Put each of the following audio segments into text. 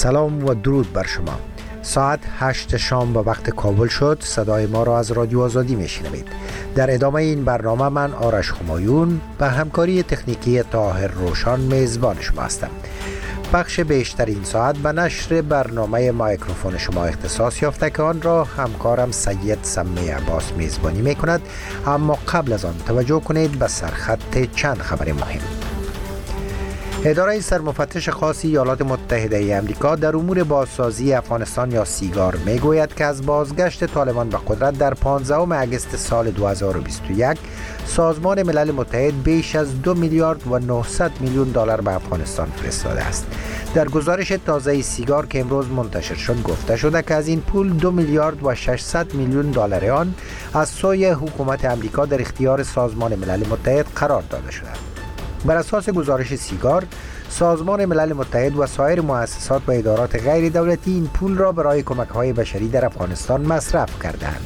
سلام و درود بر شما. ساعت 8 شام به وقت کابل شد. صدای ما را از رادیو آزادی میشنوید. در ادامه این برنامه من آرش همایون به همکاری تکنیکی طاهر روشان میزبان شما هستم. بخش بیشتر این ساعت به نشر برنامه مایکروفون شما اختصاص یافته که آن را همکارم سید سمی عباس میزبانی میکند. اما قبل از آن توجه کنید به سرخط چند خبر مهم. اداره سرمفتش خاص ایالات متحده امریکا در امور بازسازی افغانستان یا سیگار میگوید که از بازگشت طالبان به قدرت در 15 اگست سال 2021 سازمان ملل متحد بیش از 2 میلیارد و 900 میلیون دلار به افغانستان فرستاده است. در گزارش تازه سیگار که امروز منتشر شد گفته شده که از این پول 2 میلیارد و 600 میلیون دلار آن از سوی حکومت امریکا در اختیار سازمان ملل متحد قرار داده شده. بر اساس گزارش سیگار، سازمان ملل متحد و سایر مؤسسات و ادارات غیر دولتی این پول را برای کمک‌های بشری در افغانستان مصرف کردند.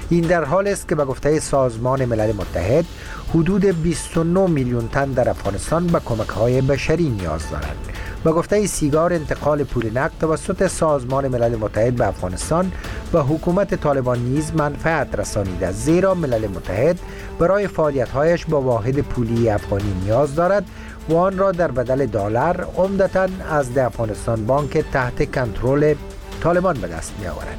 این در حال است که به گفته سازمان ملل متحد حدود 29 میلیون تن در افغانستان به کمک‌های بشری نیاز دارند. به گفته سیگار، انتقال پول نقد توسط سازمان ملل متحد به افغانستان و حکومت طالبان نیز منفعت رسانیده، زیرا ملل متحد برای فعالیت‌هایش با واحد پولی افغانی نیاز دارد و آن را در بدل دلار عمدتاً از افغانستان بانک تحت کنترل طالبان به دست می‌آورد.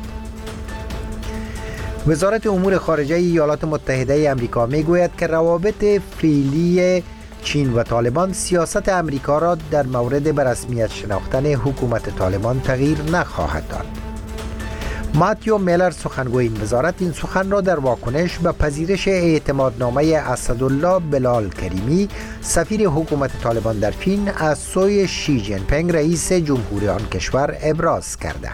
وزارت امور خارجه ایالات متحده آمریکا می‌گوید که روابط فعلی چین و طالبان سیاست امریکا را در مورد به رسمیت شناختن حکومت طالبان تغییر نخواهد داد. ماتیو میلر سخنگوی این وزارت این سخن را در واکنش به پذیرش اعتمادنامه اسدالله بلال کریمی سفیر حکومت طالبان در چین از سوی شی جین پینگ رئیس جمهوری آن کشور ابراز کرده.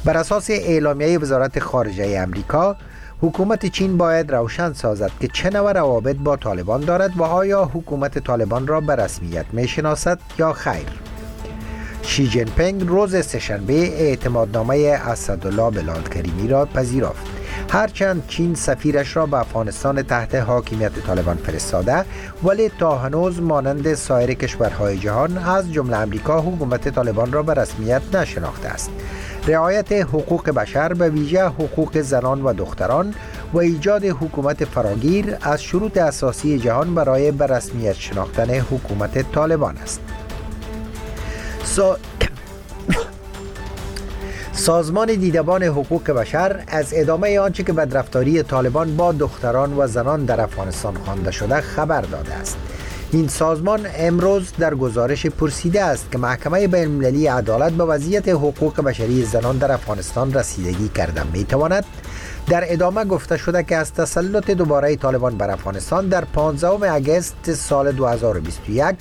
بر اساس اعلامیه وزارت خارجه امریکا، حکومت چین باید روشن سازد که چه نوع روابط با طالبان دارد و آیا حکومت طالبان را به رسمیت میشناسد یا خیر. شی جین پینگ روز سه‌شنبه اعتمادنامه اسدالله بلال کریمی را پذیرفت. هرچند چین سفیرش را به افغانستان تحت حاکمیت طالبان فرستاده، ولی تا هنوز مانند سایر کشورهای جهان از جمله امریکا حکومت طالبان را به رسمیت نشناخته است. رعایت حقوق بشر به ویژه حقوق زنان و دختران و ایجاد حکومت فراگیر از شروط اساسی جهان برای به رسمیت شناختن حکومت طالبان است. سازمان دیدبان حقوق بشر از ادامه آنچه که بدرفتاری طالبان با دختران و زنان در افغانستان خوانده شده خبر داده است. این سازمان امروز در گزارش پرسیده است که محکمه بین‌المللی عدالت به وضعیت حقوق بشری زنان در افغانستان رسیدگی کرده میتواند. در ادامه گفته شده که از تسلط دوباره طالبان بر افغانستان در 15 اگست سال 2021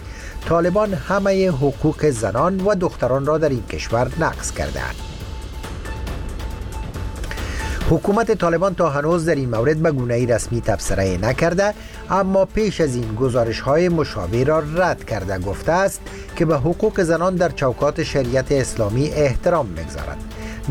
طالبان همه حقوق زنان و دختران را در این کشور نقض کردند. حکومت طالبان تا هنوز در این مورد به گونه‌ای رسمی تبصره نکرده، اما پیش از این گزارش‌های مشابه را رد کرده گفته است که به حقوق زنان در چوکات شریعت اسلامی احترام می‌گذارد.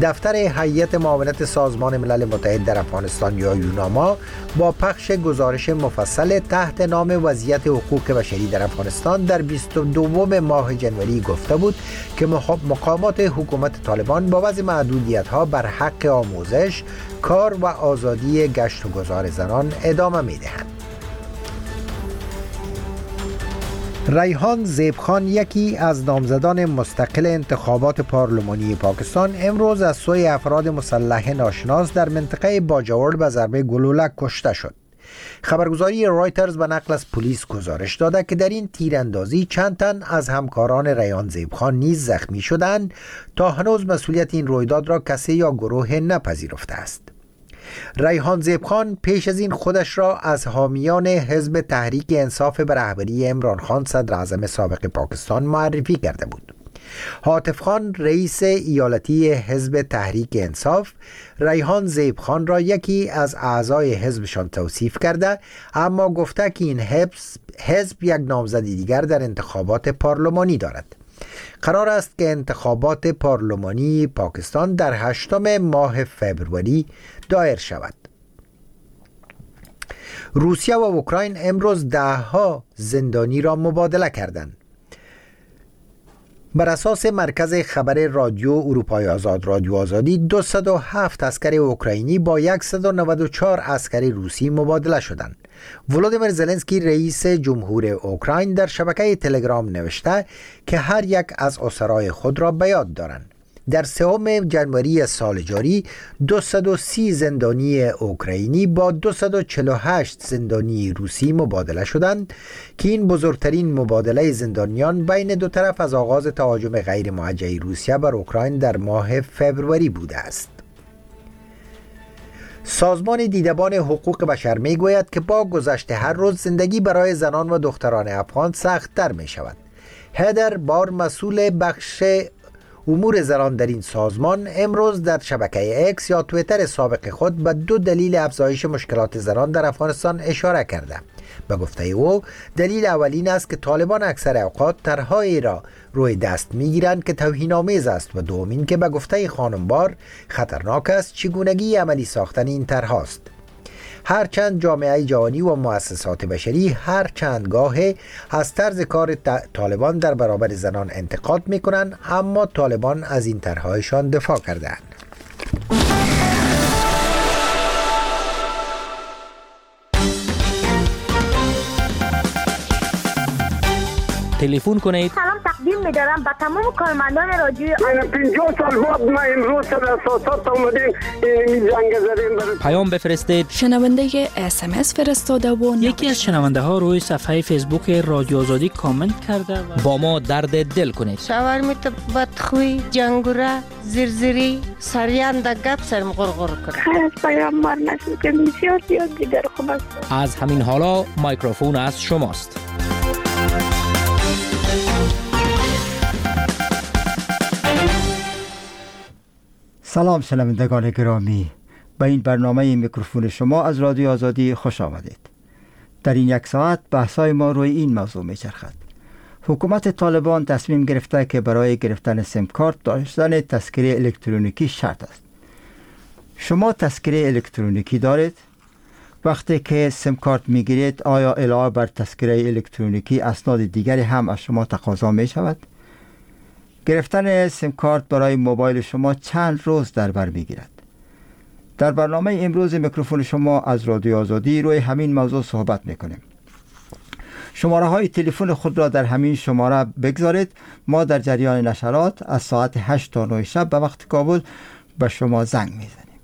دفتر هیئت معاونت سازمان ملل متحد در افغانستان یا یوناما با پخش گزارش مفصل تحت نام وضعیت حقوق بشری در افغانستان در 22 ماه جنوری گفته بود که مقامات حکومت طالبان با وضع محدودیت‌ها بر حق آموزش، کار و آزادی گشت و گذار زنان ادامه می‌دهند. ریحان زیبخان یکی از نامزدان مستقل انتخابات پارلمانی پاکستان امروز از سوی افراد مسلح ناشناس در منطقه باجوړ به ضربه گلوله کشته شد. خبرگزاری رایترز به نقل از پلیس گزارش داده که در این تیراندازی چند تن از همکاران ریحان زیبخان نیز زخمی شدند. تا هنوز مسئولیت این رویداد را کسی یا گروه نپذیرفته است. ریحان زیبخان پیش از این خودش را از حامیان حزب تحریک انصاف به رهبری عمران خان صدر اعظم سابق پاکستان معرفی کرده بود. هاتف خان رئیس ایالتی حزب تحریک انصاف ریحان زیب خان را یکی از اعضای حزبشان توصیف کرده، اما گفته که این حزب یک نامزد دیگر در انتخابات پارلمانی دارد. قرار است که انتخابات پارلمانی پاکستان در 8 ماه فوریه دایر شود. روسیه و اوکراین امروز دهها زندانی را مبادله کردند. بر اساس مرکز خبر رادیو اروپای آزاد، رادیو آزادی، 207 عسکر اوکراینی با 194 عسکر روسی مبادله شدند. ولودیمیر زلنسکی، رئیس جمهور اوکراین، در شبکه تلگرام نوشته که هر یک از اسرای خود را به یاد دارند. در 3 جنوری سال جاری 230 زندانی اوکراینی با 248 زندانی روسی مبادله شدند که این بزرگترین مبادله زندانیان بین دو طرف از آغاز تهاجم غیر موجه روسیه بر اوکراین در ماه فبروری بوده است. سازمان دیدبان حقوق بشر می گوید که با گذشت هر روز زندگی برای زنان و دختران افغان سخت‌تر می شود. هدر بار، مسئول بخش امور زنان در این سازمان، امروز در شبکه اکس یا تویتر سابق خود به دو دلیل افزایش مشکلات زنان در افغانستان اشاره کرده. به گفته او، دلیل اولین است که طالبان اکثر اوقات طرحهایی را روی دست میگیرند که توهین‌آمیز است و دومین که به گفته خانم بار خطرناک است چگونگی عملی ساختن این طرحهاست. هرچند جامعه جهانی و مؤسسات بشری هر چند گاه از طرز کار طالبان در برابر زنان انتقاد میکنند، اما طالبان از این طرحهایشان دفاع کردند. تلفن کنید. سلام تقدیم می‌دارم به تمام کارمندان رادیو. 50 سال بعد ما امروز در اساسات آمدیم، این جنگ زدیم. پیام بفرستید. شنونده SMS فرستاده و یکی از شنونده ها روی صفحه فیسبوک رادیو آزادی کامنت کرده و با ما درد دل کنید. شوهر می تو بدخوی جنگوره زیرزیری سریان د گپ سرم غرغر کنه. از پیام ما نشد که بسیار زیاد دیگر خوب است. از همین حالا میکروفون از شماست. سلام شنوندگان گرامی، به این برنامه میکروفون شما از رادیو آزادی خوش آمدید. در این یک ساعت بحث‌های ما روی این موضوع میچرخد. حکومت طالبان تصمیم گرفته که برای گرفتن سیم کارت داشتن تذکره الکترونیکی شرط است. شما تذکره الکترونیکی دارید؟ وقتی که سیم کارت میگیرید آیا علاوه بر تذکره الکترونیکی اسناد دیگری هم از شما تقاضا میشود؟ گرفتن سیم کارت برای موبایل شما چند روز در بر میگیرد؟ در برنامه امروز میکروفون شما از رادیو آزادی روی همین موضوع صحبت میکنیم. شماره های تلفن خود را در همین شماره بگذارید. ما در جریان نشرات از ساعت 8 تا 9 شب به وقت کابل به شما زنگ میزنیم.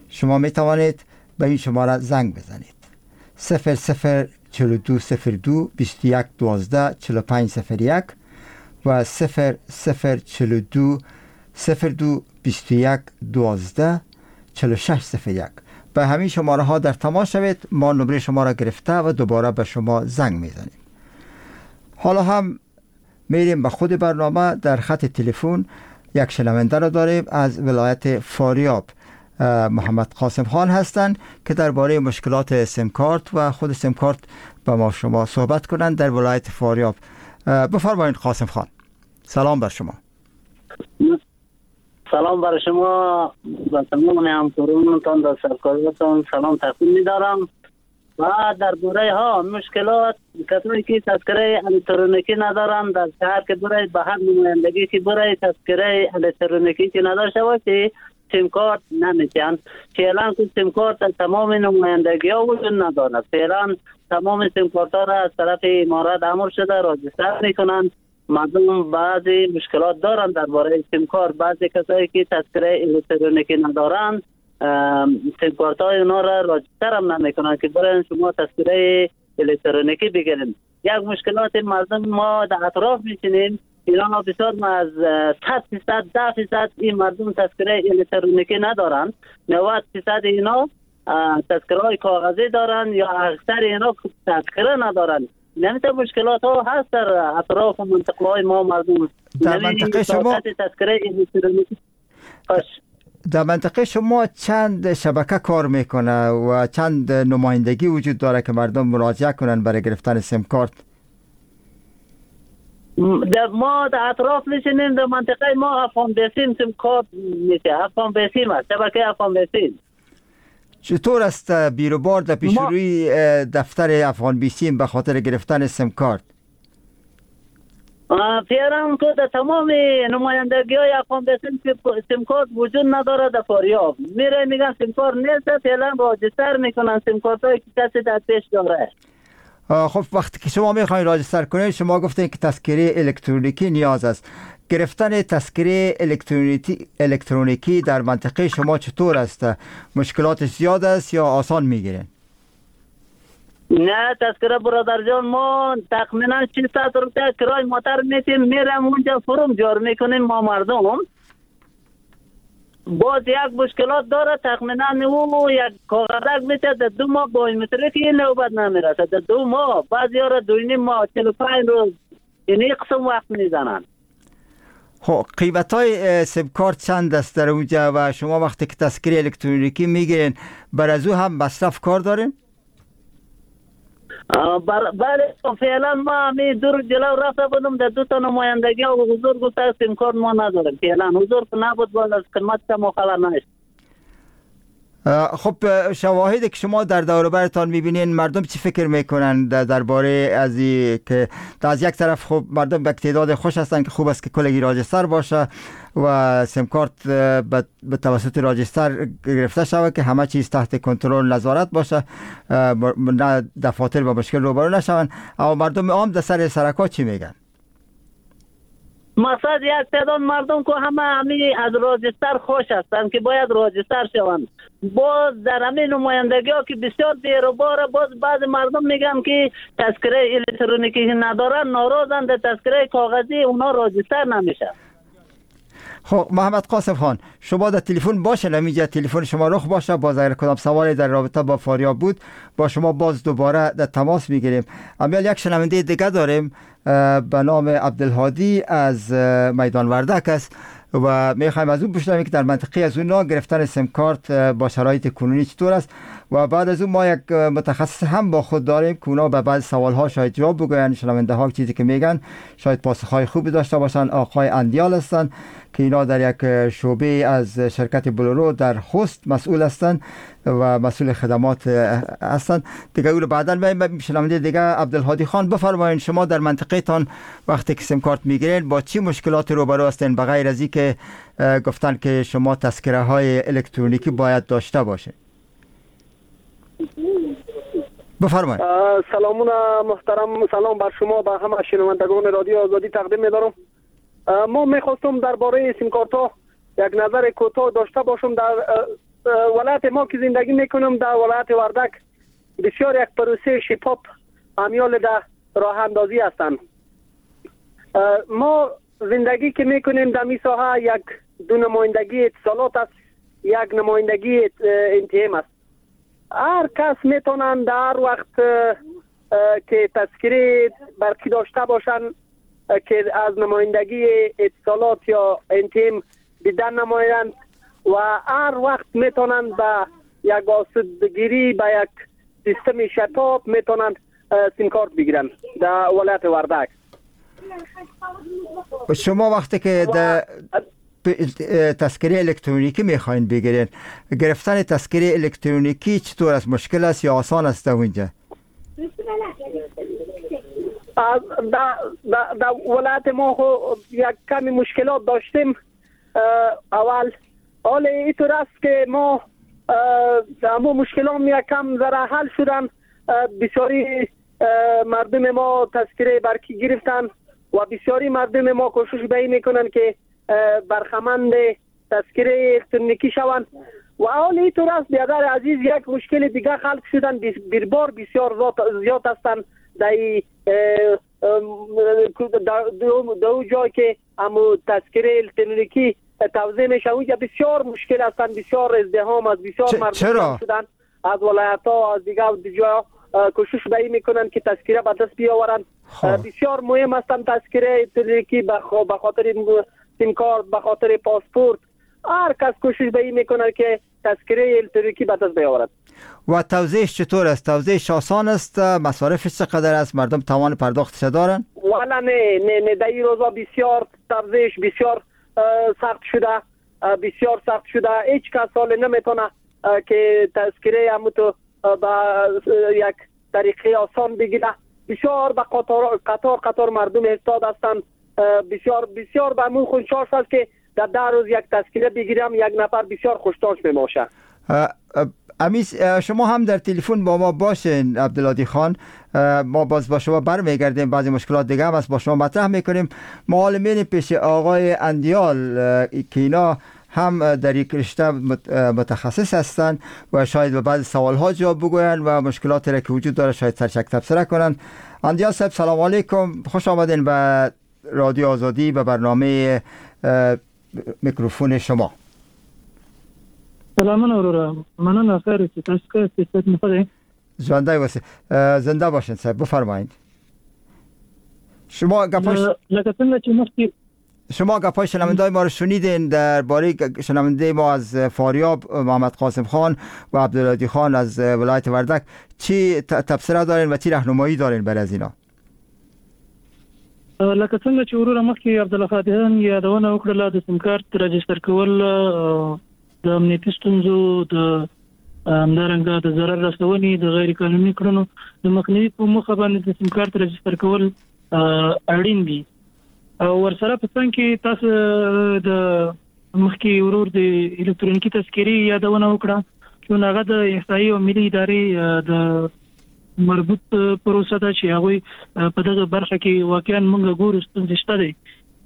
شما میتوانید به این شماره زنگ بزنید: 00 42 02 21 12 45 01 و 00 42 02 21 12 46 01. به همین شماره ها در تماس شوید. ما نمره شما را گرفته و دوباره به شما زنگ میزنیم. حالا هم میریم به خود برنامه. در خط تلفن یک شنونده را داریم از ولایت فاریاب، محمد قاسم خان هستند که درباره مشکلات سیم کارت و خود سیم کارت با ما شما صحبت کنند در ولایت فاریاب. بفرمایید قاسم خان. سلام بر شما. سلام بر شما و تمام همکارانتان در سرکارتان سلام تقدیم می‌دارم. و درباره ها مشکلات کسایی که تذکره الکترونیکی ندارن در شهر که برای به هر نمایندگی که برای تذکره الکترونیکی که نداشته باشه سیم کارت نمیتن. فعلا که سیم کارت در تمام نمایندگی ها وجود ندارد. فعلا تمام سیم کارت ها را از طرف امارات امر شده راجستر میکنن. مردم بعضی مشکلات دارن درباره سیم کارت. بعضی کسایی که تذکره الکترونیکی ندارن سیم کارت های اونا را راجستر هم نمیکنن که برای شما تذکره الکترونیکی بگیرن. یک مشکلات مردم ما در اطراف میشینیم ایران ها بسیار ما از 100% 10% این مردم تذکره الکترونیکی ندارن. 90% اینا تذکره های کاغذی دارن یا اکثر اینا تذکره ندارن. نمی‌تونه مشکلات ها هست در اطراف و منطقه های ما مردم. در منطقه شما تذکره الکترونیکی در منطقه شما چند شبکه کار میکنه و چند نمایندگی وجود داره که مردم مراجعه کنن برای گرفتن سیم کارت؟ در ما در اطراف میشینیم. در منطقه ما افغان بیسیم سیم کارت میشه. افغان بیسیم است، شبکه افغان بیسیم. چطور است بیروبار در پیش روی دفتر افغان بیسیم به خاطر گرفتن سیم کارت؟ فعلا که در تمام نمایندگی های افغان سیم کارت وجود نداره. در فاریاب میره میگن سیم کارت نیست، فعلا register میکنن سیم کارت هایی که کسی در پیش داره. خب وقتی که شما میخواین register کنید، شما گفتین که تذکره الکترونیکی نیاز است. گرفتن تذکره الکترونیکی در منطقه شما چطور است؟ مشکلاتش زیاد است یا آسان میگیرین؟ نه تذکره برادر جان، ما تخمینا 600 روپیه کرای موتر میتیم، میرم اونجا فرم جور میکنیم ما مردم. باز یک مشکلات داره، تخمینا او یک کاغذک میته در 2 ماه بایومتریک نوبت نمیرسه. در 2 ماه، بعضی ها را 2.5 ماه، 45 روز، این قسم وقت میزنن. خب قیمت های سیم کارت چند است در اونجا و شما وقتی که تذکره الکترونیکی میگیرین بر از او هم مصرف کار دارین؟ بله فعلا ما می دور جلو رفته بودم در 2 تا نمایندگی و حضور گفته سیم کارت ما نداریم. فعلا حضور نبود، باز از قیمت ما خبر نیست. خب شواهد که شما در دور برتان میبینین، مردم چی فکر میکنن درباره از که از یک طرف خب مردم به تعداد خوش هستن که خوب است که کلگی register باشه و سیم کارت به توسط register گرفته شود که همه چیز تحت کنترل نظارت باشه، نه دفاتر با مشکل روبرو نشوند، اما مردم عام در سر سرکا چی میگن؟ مثلا یک تعداد مردم که همه همی از register خوش هستند که باید register شوند. باز در همین نمایندگی ها که بسیار دیر و باره، باز بعض مردم میگن که تذکره الکترونیکی ندارن، ناراضن، در تذکره کاغذی اونا register نمیشه. خب محمد قاسم خان، شما در تلفن باشه، نمیجا تلفن شما رخ باشه، باز اگر کدام سوالی در رابطه با فاریاب بود با شما باز دوباره در تماس میگیریم. امیال یک شنونده دیگه داریم به نام عبدالهادی از میدان وردک است و میخوایم از اون بشنویم که در منطقه از اون گرفتن سیم کارت با شرایط کنونی چطور است و بعد از اون ما یک متخصص هم با خود داریم که اونا به بعض سوال ها شاید جواب بگوین، شنونده ها چیزی که میگن شاید پاسخ های خوبی داشته باشن. آقای اندیال هستن که اینا در یک شعبه از شرکت بلورو در خوست مسئول هستن و مسئول خدمات هستن. دیگه او رو بعداً شنونده دیگه عبدالهادی خان، بفرمایید شما در منطقه تان وقتی که سیم کارت میگیرین با چی مشکلات روبرو هستین به غیر از اینکه گفتن که شما تذکره های الکترونیکی باید داشته باشه؟ بفرمایید. سلامون محترم، سلام بر شما و همه شنوندگان رادیو آزادی تقدیم می‌دارم. ما می‌خواستم درباره سیم کارت ها یک نظر کوتاه داشته باشم. در ولایت ما که زندگی میکنم، در ولایت وردک، بسیار یک پروسه شفاف امیال در راه اندازی هستند. ما زندگی که میکنیم در می ساحه یک دو نمایندگی اتصالات است، یک نمایندگی انتهام است. هر کس میتونن در وقت که تذکره برقی داشته باشن که از نمایندگی اتصالات یا انتیم بیدن نمایند و هر وقت میتونن به یک آسودگیری به یک سیستم شتاب میتونن سیم کارت بگیرن در ولایت وردک. شما وقتی که در تذکره الکترونیکی میخواین بگیرین، گرفتن تذکره الکترونیکی چطور است؟ مشکل است یا آسان است در اونجا؟ در ولایت ما خو یک کمی مشکلات داشتیم اول. حال اینطور است که ما همو مشکلات یک کم ذره حل شدن. بسیاری مردم ما تذکره برقی گرفتن و بسیاری مردم ما کوشش به این میکنن که برخمند تذکره الکترونیکی شوند. و حال اینطور است بیادر عزیز، یک مشکل دیگه خلق شدن، بیربار بسیار زیاد هستند در دو جای که امو تذکره الکترونیکی توزیع میشه اونجا بسیار مشکل هستند، بسیار ازدحام است، بسیار مردم شدن از ولایت ها از دیگه جا کوشش به این میکنن که تذکره به دست بیاورند. بسیار مهم هستند تذکره الکترونیکی به خاطر سیم کارت، به خاطر پاسپورت. هر کس کوشش به این میکنه که تذکره الکترونیکی به دست بیاورد. و توزیعش چطور است؟ توزیعش آسان است؟ مصارفش چقدر است؟ مردم توان پرداختش دارن؟ والا نه نه نه، در این روزا بسیار توزیعش بسیار سخت شده، بسیار سخت شده. هیچ کس حال نمیتونه که تذکره همو تو با یک طریقه آسان بگیره. بسیار به قطار قطار مردم استاد هستند بسیار بسیار به مون خوشحال است که در 10 روز یک تذکره بگیرم، یک نفر بسیار خوشحال می‌باشه. امیس شما هم در تلفن با ما باشین عبدالهادی خان، ما باز با شما برمیگردیم، بعضی مشکلات دیگه هم از با شما مطرح میکنیم. ما حالا میریم پیش آقای اندیال که اینا هم در یک رشته متخصص هستند و شاید به بعضی سوال ها جواب بگوین و مشکلات را که وجود داره شاید سرشک تبصره کنن. اندیال صاحب سلام علیکم، خوش آمدین به رادیو آزادی و برنامه میکروفون شما. سلامونه وروره، مننه، خیر چې تاسو ښه یاست، صحت مو ښه دی؟ ژوندی اوسئ، زنده باشین صاحب، بفرمایید. شما گپاش لکه څنګه چې مخکې شما گپای شنونده‌های ما رو شنیدین درباره شنونده ما از فاریاب محمد قاسم خان و عبدالهادی خان از ولایت وردک، چی تبصره دارین و چی راهنمایی دارین برای از اینا؟ لکه څنګه چې وروره مخکې عبدالهادي خان یادونه وکړله، د سیم کارت راجستر کول د امنیتي ستونزو، د همدارنګه د ضرر رسونې، د غیر قانوني کړنو د مخنیوي په موخه باندې د سیم کارت راجستر کول اړین دي. او ورسره په څنګ کې تاسو د مخکې ورور د الکترونیکي تذکرې یادونه وکړه، چې هغه د احصایي او ملي ادارې د مربوط پروسه ده چې هغوی په دغه برخه کې واقعا موږ ګورو ستونزې شته دی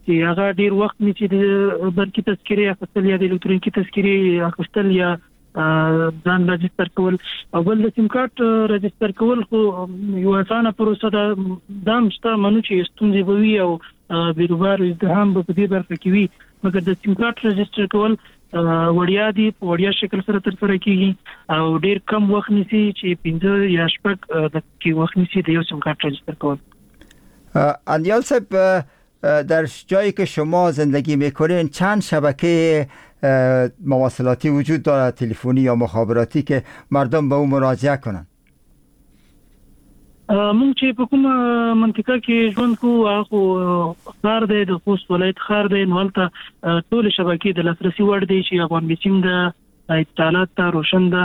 چې هغه ډیر وخت نیسي د برقي تذکرې اخیستل یا د الکترونیکي تذکرې اخیستل یا ځان راجستر کول. او بل د سیم کارت راجستر کول خو یو اسانه پروسه ده، دا هم شته منو چې ستونزې به وي او بیروبار ازدحام به په دې برخه کې وي، مګر د سیم کارت راجستر کول وړیا دی، په وړیا شکل سره ترسره کیږي او ډیر کم وخت نیسي چې 5 یا 6 دقیقې وخت نیسي د یو سیم کارت راجستر کول. اندیال صاحب، در جایی که شما زندگی میکنین چند شبکه مواصلاتی وجود دارد، تلفنی یا مخابراتی، که مردم به او مراجعه کنند؟ مونږ چې په کومه منطقه کې ژوند کوو هغه خو ښار دی، د خوست ولایت ښار دی، نو هلته ټولې شبکې د لاسرسي وړ دی چې افغان بیسیم ده، اتصالات ده، روشن ده،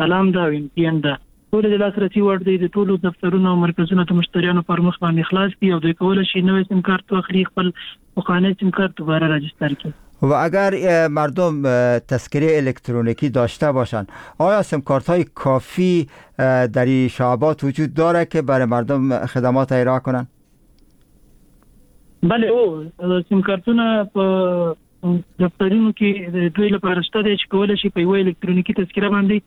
سلام ده او ام ټي ان ده، ټولې د لاسرسي وړ دی. د ټولو دفترونو او مرکزونو د مشتریانو پر مخ باندې خلاص دي او دوی کولی شي نوی سیم کارت واخلي، خپل پخوانی سیم کارت دوباره راجستر کړي. و اگر مردم تذکره الکترونیکی داشته باشند، آیا سیم کارت های کافی در این شعبات وجود داره که برای مردم خدمات ارائه کنند؟ بله، او سیم کارتونه په دفترونو کې دوی لپاره شته دی چې کولی شي په یوه الکترونیکي تذکره باندې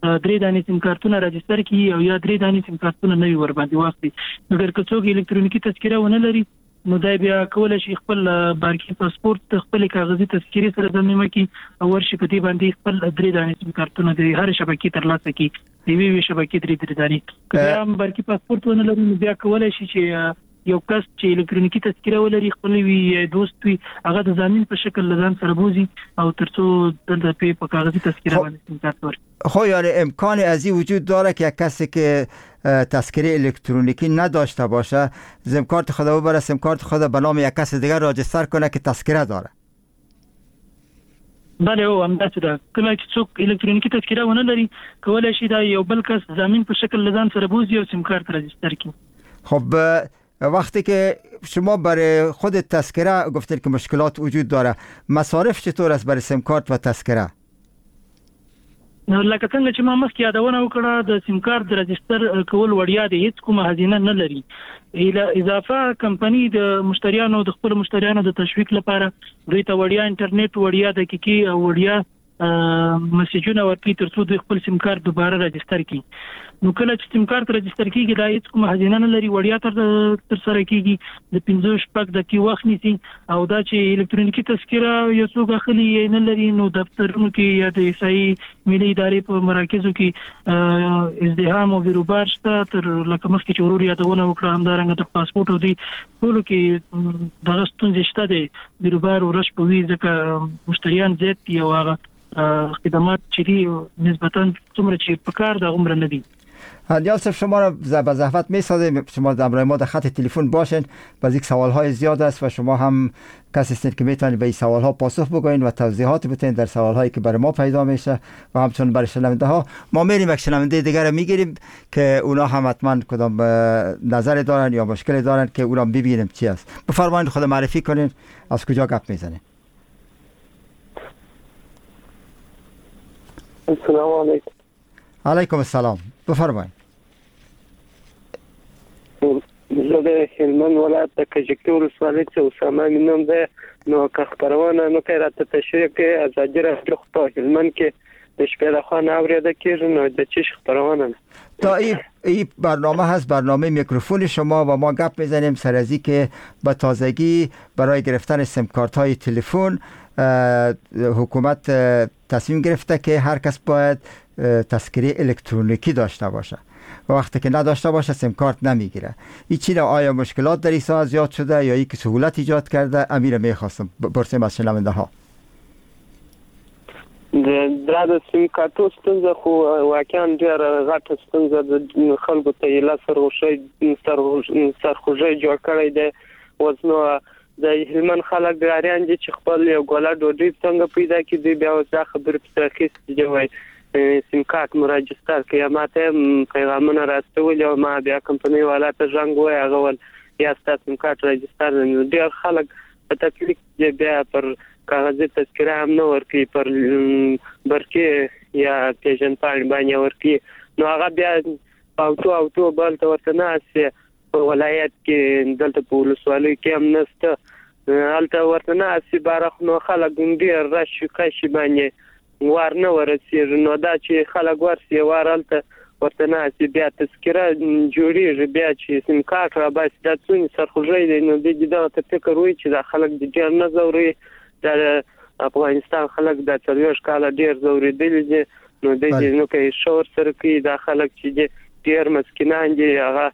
3 دانې سیم کارتونه راجستر کړي او یا 3 دانې سیم کارتونه نوي ورباندې واخلي. مګر که څوک الکترونیکي تذکره ونه لري نو دی بیا کولی شي خپل بانکي پاسپورت خپلې کاغذي تذکرې سره ضمیمه کړي او ورشي په دې باندې خپل 3 دانې سیم کارتونه د هرې شبکې ترلاسه کړي، د یوې یوې شبکې 3 دانې. که بیا هم بانکي پاسپورت ونه لري نو بیا کولی شي چې یو کس چې الکترونیکي تذکره ولري، خپل وي یا دوست وي، هغه د ضامن په شکل له ځان سره بوځي او ترڅو دلته په کاغذي تذکره باندې سیم کارت ورکړي. خب یعنی امکان از این وجود داره که کسی که تذکره الکترونیکی نداشته باشه سیم کارت خود ببره، سیم کارت خود به نام یک کس دیگر راجستر کنه که تذکره داره؟ بله، او همداسې ده. کله چې څوک الکترونیکي تذکره ونه لري کولی شي دا یو بل کس ضامن په شکل له ځان سره بوځي او سیم کارت راجستر کړي. خب وقتی که شما برای خود تذکره گفتید که مشکلات وجود داره، مصارف چطور است برای سیم کارت و تذکره؟ نو لکه څنګه چې ما مخکې یادونه وکړه، د سیم کارت د راجستر کول وړیا دی، هیڅ کومه هزینه نه لري. اضافه کمپنی د مشتریانو د خپل مشتریانو د تشویق لپاره دوی ته وړیا انټرنیټ، وړیا دقیقې او وړیا مسیجونه ورکوي ترڅو دوی خپل سیم کارت دوباره راجستر کړي. نو کله چې سیم کارت راجستر کیږي دا هیڅ کومه هزینه نه لري، وړیا تر سره کیږي، د 5-6 دقیقې وخت نیسي. او دا چې الکترونیکي تذکره یو څوک اخلي یا نه لري نو دفترونو کې یا د احصایي ملي ادارې په مراکزو کې ازدحام او بیروبار شته، تر لکه مخکې چې ورور یادونه وکړه همدارنګه د پاسپورټ او دې ټولو کې دغه ستونزې شته دی، بیروبار او رش به وي ځکه مشتریان زیات دي او هغه خدمات چې دي نسبتاً څومره چې په کار ده هغومره نه دي. اندیال صاحب، شما را به زحمت میسازیم شما در ما در خط تلفن باشین. باز یک سوال های زیاد است و شما هم کسی هستید که میتونید به این سوال ها پاسخ بگوین و توضیحات بدین در سوال هایی که برای ما پیدا میشه و همچنین برای شنونده ها. ما میریم یک شنونده دیگر رو میگیریم که اونا هم حتما کدام نظر دارن یا مشکل دارن که اونا ببینیم چی است. بفرمایید خود معرفی کنین، از کجا گپ میزنین؟ السلام علیکم. علیکم السلام، بفرمایید. زه د هلمند ولایت د کجکي ولسوالۍ څخه اسامه مې نوم دی. نو که خپرونه نو که راته تشریح کړئ، ازادي راډیو خو په هلمند کې د شپې لخوا نه اورېده کېږي، نو د چی خپرونه ده؟ تا این برنامه هست، برنامه میکروفون شما و ما گپ میزنیم سر از که به تازگی برای گرفتن سیم کارت های تلفن حکومت تصمیم گرفته که هر کس باید تذکره الکترونیکی داشته باشه و وقتی که نداشته باشه سیم کارت نمیگیره. این چی آیا مشکلات در این ساعت زیاد شده یا یک سهولت ایجاد کرده؟ امیر میخواستم پرسیم از شنونده ها. دا د سیم کارتو ستونزه خو واقعا ډېره غټه ستونزه ده، خلکو ته یې لا سرخوږی جوړ کړی دی. اوس نو د هلمند خلک ګاریان دي چې خپل یو ګوله ډوډۍ څنګه پیدا کړي، دوی بیا اوس دا خبرې پسې راخیستې دي، وایي سیم کارت مو راجستر کړئ. یا ما ته هم پیغامونه راستولي او ما بیا کمپنۍ والا ته زنګ ووایي، هغه ویل یا ستا سیم کارت راجستر دی. نو ډېر خلک په تکلیف دي، بیا پر کاغذي تذکره هم نه ورکوي، پر برقي یا پېژندپاڼې باندې ورکوي. نو هغه بیا اوتو بل ته ورته ناست وي، په ولایت کې دلته په ولسوالۍ کې هم نشته، هلته ورته ناست وي باره. نو خلک ډېر رش کش باندې وار نه ورسېږي. نو دا چې خلک ورسي وار هلته ورته ناست وي، بیا تذکره جوړېږي، بیا چې سیم کارت راباسي، دا څونې سرخوږی دی. نو دوی دې دغه ته فکر وایي چې دا خلک دې ډېر نه ځوروي، دا افغانستان خلک دا 40 کاله ډېر ځورېدلي دي. نو دوی دې نو که ښه ورسره کوي، دا خلک چې دي ډېر مسکینان دي، هغه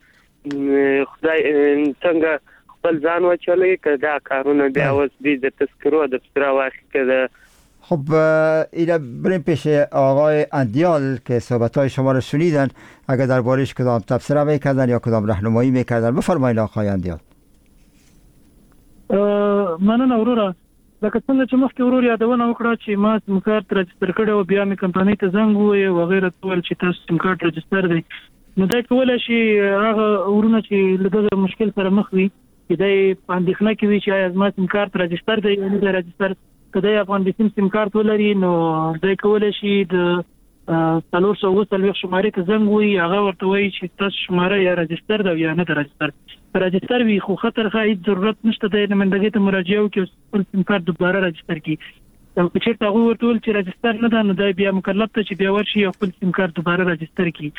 خدای څنګه خپل ځان وچلوي که دا کارونه بیا اوس دوی د تذکرو د پسې راواخلي که د خب اینا بریم پیش آقای اندیال که صحبت‌های شما رو شنیدن، اگر دربارش کدام تبصره میکردن یا کدام راهنمایی میکردن بفرمایید آقای اندیال. مننه وروره. لکه څنګه چې مخکې ورور یادونه وکړه چې ما سیم کارت راجستر کړی او بیا مې کمپنۍ ته زنګ ووایه او هغې راته وویل چې تاسو سیم کارت راجستر دی. نو دی کولی شي هغه ورونه چې له دغه مشکل سره مخ وي، چې دی په اندېښنه کې وي چې آیا زما سیم کارت راجستر دی یا نه دی راجستر، که دی افغان بیسیم سیم کارت ولري نو دی کولی شي د 447 شمارې ته زنګ ووایي، هغه ورته وایي چې تاسو شماره یا راجستر ده یا نه ده راجستر. که راجستر وي خو ښه تر ښه هېڅ ضرورت نشته دی نمایندګۍ ته مراجعه وکړي او خپل سیم کارت دوباره راجستر کړي. او که چېرته هغوی ورته وویل چې راجستر نه ده، نو دی بیا مکلف ده چې بیا ورشي او خپل سیم کارت دوباره راجستر کړي.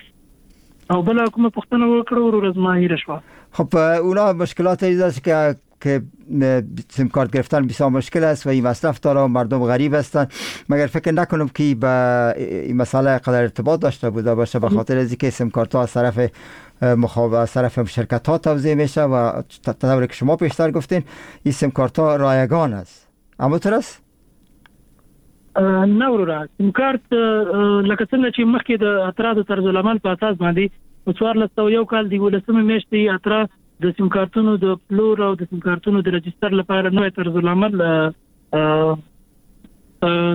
او بله کومه پوښتنه وکړه وروره زما هېره شوه. خب اونا مشکلات است که سیم کارت گرفتن بسیار مشکل است و این مصرف داره و مردم غریب هستند، مگر فکر نکنم که به این مسئله قدر ارتباط داشته بوده باشه، به خاطر از اینکه سیم کارت ها از طرف از طرف شرکت ها توزیع میشه و طوری که شما پیشتر گفتین این سیم کارت ها رایگان است. اما تر است؟ نه وروره، سیم کارت لکه څنګه چې مخکې د اترا د طرزالعمل په اساس باندې په 1401 کال د 11مې میاشتې اترا د سیم کارتونو د پلور او د سیم کارتونو د رجستر لپاره نوی طرزالعمل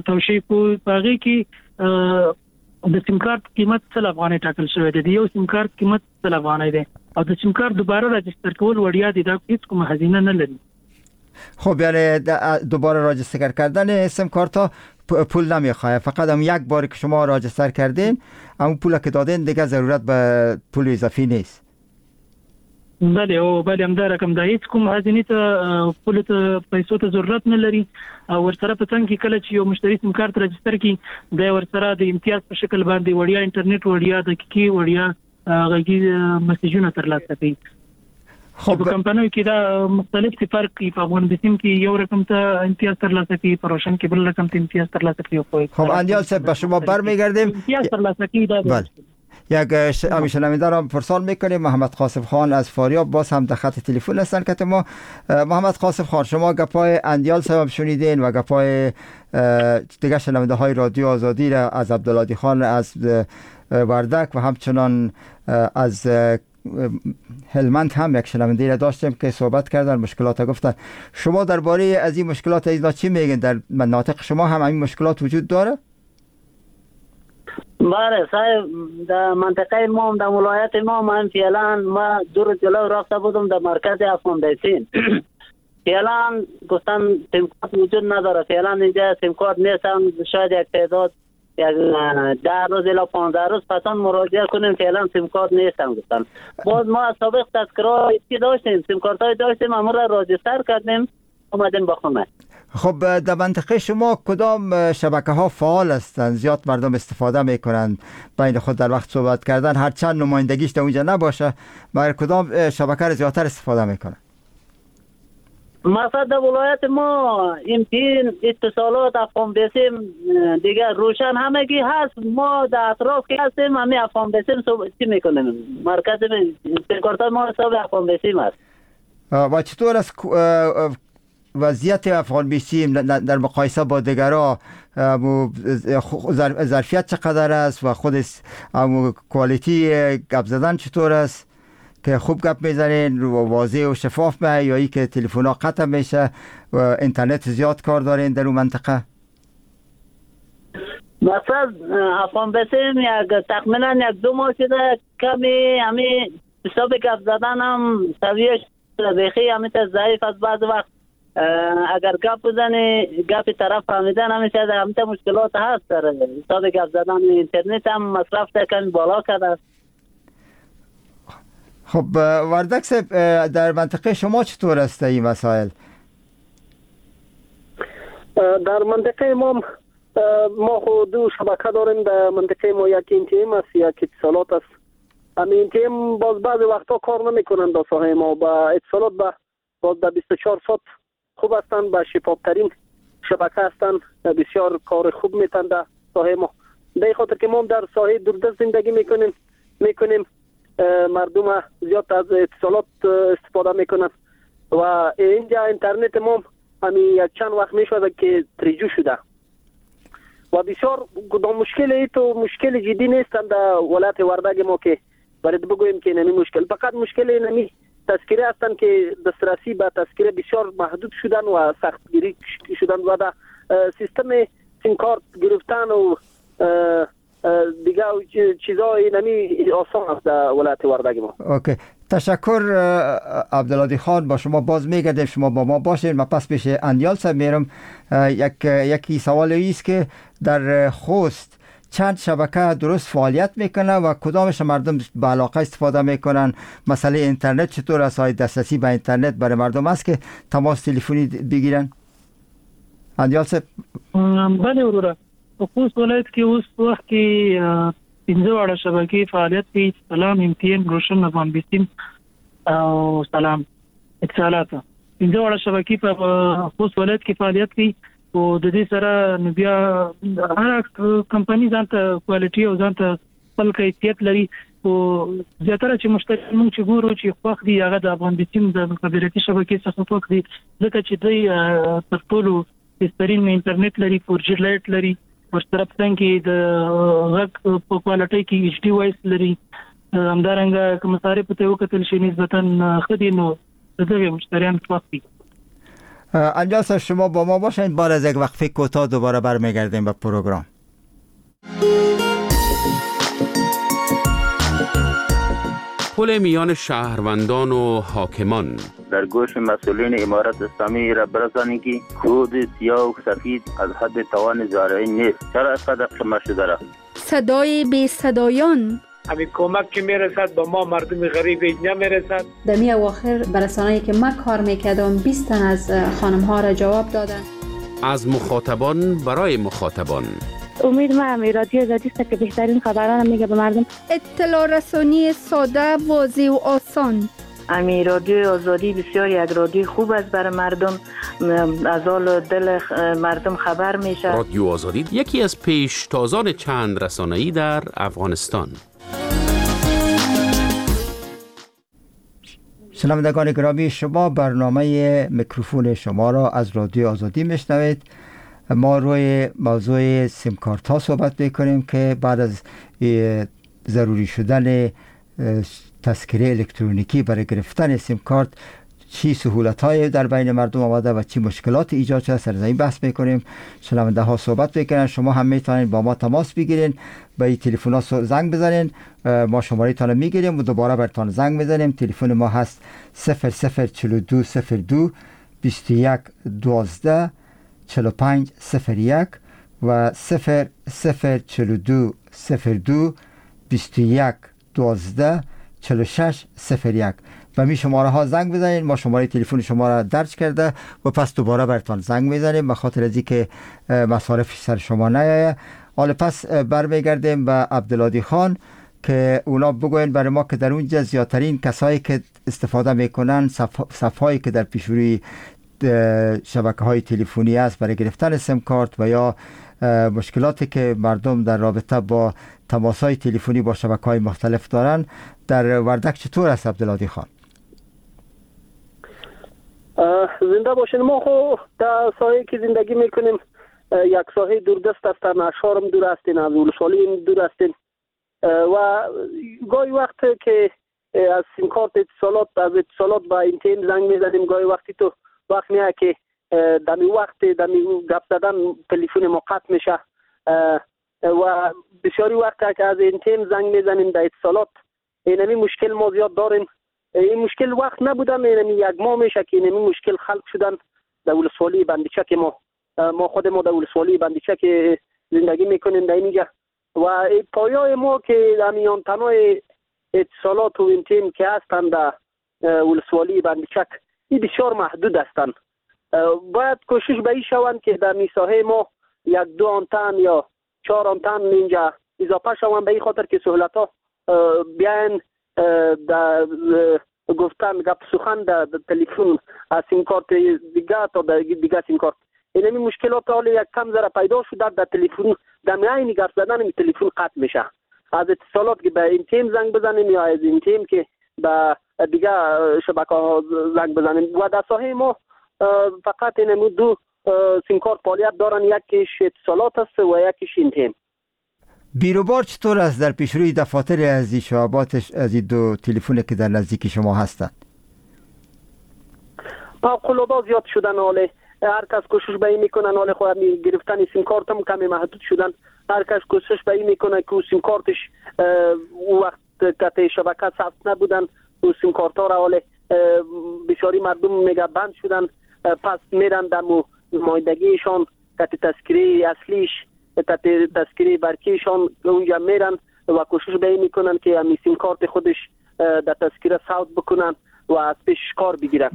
توشیح کو. په هغې کې د سیم کارت قیمت 100 افغانۍ ټاکل شوی دی، د یو سیم کارت قیمت 100 افغانۍ دی او د سیم کارت دوباره راجستر کول وړیا دی، دا هیڅ کومه هزینه نه لري. خب یعنی دوباره راجستر کردن سیم کارت ها پول نمیخواه، فقط هم یک بار که شما راجستر کردین اون پول که دادین دیگه ضرورت به پول اضافی نیست. بله او بله، همدا رقم ده، هیڅ کوم هزینې ته پول ته پیسو ته ضرورت نه لري. او ورسره په څنګ کې کله چې یو مشتري سیم کارت راجستر کړي، دی ورسره د امتیاز په شکل باندې وړیا انټرنیټ، وړیا دقیقې، وړیا غږیز مسیجونه ترلاسه کوي. خب په کمپنیو کې دا مختلف فرق کوي، په افغان بیسیم کې یو رقم ته امتیاز ترلاسه کوي، په روشن کې بل رقم ته امتیاز ترلاسه کوي. خب اندیال صاحب به شما برمیگردیم. امتیاز ترلاسه کوي دا. بله. یک شنونده را پرسان میکنیم، محمد قاسم خان از فاریاب باز هم در خط تلفن هستن که ما. محمد قاسم خان، شما گپای اندیال صاحب شنیدین و گپای دیگه شنونده های رادیو آزادی را از عبدالهادی خان از وردک و همچنان از هلمند هم یک شنونده را داشتیم که صحبت کردن، مشکلات گفتن. شما درباره از این مشکلات اینا چی میگین؟ در مناطق شما هم این مشکلات وجود داره؟ بله صاحب، در منطقه ما، در ولایت ما، من فعلا ما دور جلو رفته بودم در مرکز افغان بیسیم. فعلا گفتن سیم کارت وجود نداره، فعلا اینجا سیم کارت نیست، شاید یک تعداد یک 10 روز الی 15 روز پسان مراجعه کنیم، فعلا سیم کارت نیستم گفتن. باز ما از سابق تذکرات که داشتیم، سیم کارت های داشتیم، امور را راجستر کردیم، اومدیم با خونه. خب در منطقه شما کدام شبکه ها فعال هستند، زیاد مردم استفاده میکنند بین خود در وقت صحبت کردن، هرچند نمایندگیش در اونجا نباشه، مگر کدام شبکه را زیادتر استفاده میکنند؟ مثلا در ولایت ما MTN، اتصالات، افغان بیسیم، دیگه روشن همگی هست. ما در اطراف که هستیم همه افغان بیسیم چی میکنیم، مرکز سیم ما حساب افغان بیسیم است. و چطور است وضعیت افغان بیسیم در مقایسه با دیگرها؟ ظرفیت چقدر است و خود کوالیتی گپ زدن چطور است؟ که خوب گپ میزنین، واضح و شفاف به، یا ای که تلفن ها قطع میشه و اینترنت زیاد کار دارین در اون منطقه؟ مثلا افغان بیسیم یک تقریبا یک 2 ماه شده کمی همی حساب گپ زدن هم سویه بیخی همی تا ضعیف از. بعض وقت اگر گپ بزنی گپ طرف فهمیدن همیشه همی مشکلات هست در حساب گپ زدن. اینترنت هم مصرف کمی بالا کرده است. خب وردک صاحب، در منطقه شما چطور است این مسائل؟ در منطقه ما خود دو شبکه داریم در منطقه ما، یک MTN است، یک اتصالات است. همین MTN باز بعضی وقتا کار نمیکنند در ساحه ما، با اتصالات باز در 24 ساعت خوب هستند، با شفافترین شبکه هستند، بسیار کار خوب میتن در ساحه ما. به خاطر که ما در ساحه دوردست زندگی میکنیم، مردم زیاد از اتصالات استفاده میکنن و اینجا اینترنت ما همین یک چند وقت میشود که تریجو شده و بسیار کدام مشکل ای تو مشکل جدی نیستند در ولایت وردک ما که باید بگوییم که نمی مشکل، فقط مشکل نمی تذکره هستند که دسترسی به تذکره بسیار محدود شدن و سختگیری شدن و در سیستم سیم کارت گرفتن و دیگه چیزای نمی آسان است در ولایت وردک ما. okay، تشکر عبدالهادی خان، با شما باز میگردیم، شما با ما باشین. من پس پیش اندیال صاحب میرم. یکی سوال است که در خوست چند شبکه درست فعالیت میکنه و کدامش مردم به علاقه استفاده میکنن؟ مسئله اینترنت چطور است؟ های دسترسی به اینترنت برای مردم است که تماس تلفنی بگیرن؟ اندیال صاحب. بله وروره، په خوست ولایت کې اوس وخت کې 15 واړه شبکې فعالیت کوي، سلام، MTN، روشن، افغان بیسیم او سلام اتصالات. 15 واړه شبکې په خوست ولایت کې فعالیت کوي. او د دې سره نو بیا هر کمپنی ځان ته quality او ځان ته خپل کیفیت لري. او زیاتره چې مشتریان موږ چې ګورو چې خوښ دي هغه د افغان بیسیم د مخابراتي شبکې څخه خوښ دي، ځکه چې دوی تر ټولو بهترین انټرنیټ لري، 4G LTE لري، ورسره په څنګ کې د غږ په quality کې HD voice لري. همدارنګه که مصارف ته وکتل شي نسبتاً ښه دي، نو دغه مشتریان خوښ دي. اندیال صاحب شما با ما باشین، بعد از یک وقفه کوتاه دوباره برمیگردیم به پروگرام. پل میان شهروندان و حاکمان. در گوش مسئولین امارت اسلامی را برسانیم که کود سیاه و سفید از حد توان زارعین نیست. چرا اینقدر قیمت شده را؟ صدای بی صدایان. همین کمک که میرسد به ما مردم غریب نمیرسد. در می اواخر برسانه‌ای که ما کار میکردم 20 تن از خانم ها را جواب دادن. از مخاطبان برای مخاطبان. امید ما رادیو آزادی است که بهترین خبران میگه به مردم. اطلاع رسانی ساده، واضح و آسان. امی رادیو آزادی بسیار یک رادیو خوب است برای مردم، از حال دل مردم خبر میشه. رادیو آزادی یکی از پیشتازان چند رسانه‌ای در افغانستان. شنوندگان گرامی، شما برنامه میکروفون شما را از رادیو آزادی میشنوید. ما روی موضوع سیم کارت ها صحبت میکنیم که بعد از ضروری شدن تذکره الکترونیکی برای گرفتن سیم کارت چی سهولت های در بین مردم آمده و چی مشکلات ایجاد شده، سر این بحث میکنیم. شنونده ها صحبت میکنن، شما هم میتونید با ما تماس بگیرین، به این تلفن ها زنگ بزنین، ما شماره تان میگیریم و دوباره براتون زنگ میزنیم. تلفن ما هست 0042 02 21 12 45 01 و 0042 02 21 12 46 01. و می شماره ها زنگ بزنید، ما شماره تلفن شما را درج کرده و پس دوباره براتون زنگ میزنیم به خاطر از اینکه مصارف سر شما نیایه. حالا پس برمیگردیم به عبدالهادی خان که اونا بگوین برای ما که در اونجا زیادترین کسایی که استفاده میکنن، صفحه‌ای که در پیشروی شبکه های تلفنی است برای گرفتن سیم کارت و یا مشکلاتی که مردم در رابطه با تماس های تلفنی با شبکه های مختلف دارن، در وردک چطور است عبدالهادی خان؟ زنده باشین. ما خو در ساحه که زندگی میکنیم یک ساحه دوردست هستن، اشارم دور هستین، از ولسوالی دور هستین و گاهی وقت که از سیم کارت اتصالات، از اتصالات با این زنگ میزدیم، گاهی وقتی تو وقت میاد که دمی وقت دمی گپ زدن تلفن ما قطع میشه و بسیاری وقت که از این تیم زنگ میزنیم در اتصالات اینمی مشکل ما زیاد داریم. این مشکل وقت نبودم، اینمی یک ماه میشه که اینمی مشکل خلق شدن در ولسوالی بندیچک ما خود ما در ولسوالی بندیچک زندگی میکنیم در اینجا و پایای ما که همی آنتنای اتصالات و این تیم که هستند در ولسوالی بندیچک این بسیار محدود هستند. باید کوشش به این شوند که در میساحه ما یک دو آنتن یا 4 آنتن اینجا اضافه شوند، به این خاطر که سهولت ها بیاین در گفتن گپ سخن در تلفن از سیم کارت دیگه تا دیگه سیم کارت. اینمی مشکلات حال یک کم ذره پیدا شده در تلفن، در عین گپ زدن تلفن قطع میشه. از اتصالات که به این تیم زنگ بزنیم یا از این تیم که به دیگه شبکه ها زنگ بزنیم و در ساحه ما فقط اینمی دو سیم کارت فعالیت دارن، یکیش اتصالات است و یکیش این تیم. بیروبار چطور است در پیشروی دفاتر از این شعباتش، از این دو تلفن که در نزدیک شما هستند؟ فوق‌العاده زیاد شدن. حاله هر کس کوشش به این میکنن، حاله خود گرفتن سیم کارت هم کمی محدود شدن، هر کس کوشش به این میکنه که سیم کارتش او وقت که شبکه ثبت نبودن او سیم کارت ها را حاله بسیاری مردم میگه بند شدن، پس میرن دم نمایندگیشان که تذکره اصلیش تذکره برکیشان اونجا میرن و کوشش به این میکنن که همی سیم کارت خودش در تذکره ثبت بکنن و از پیش کار بگیرن.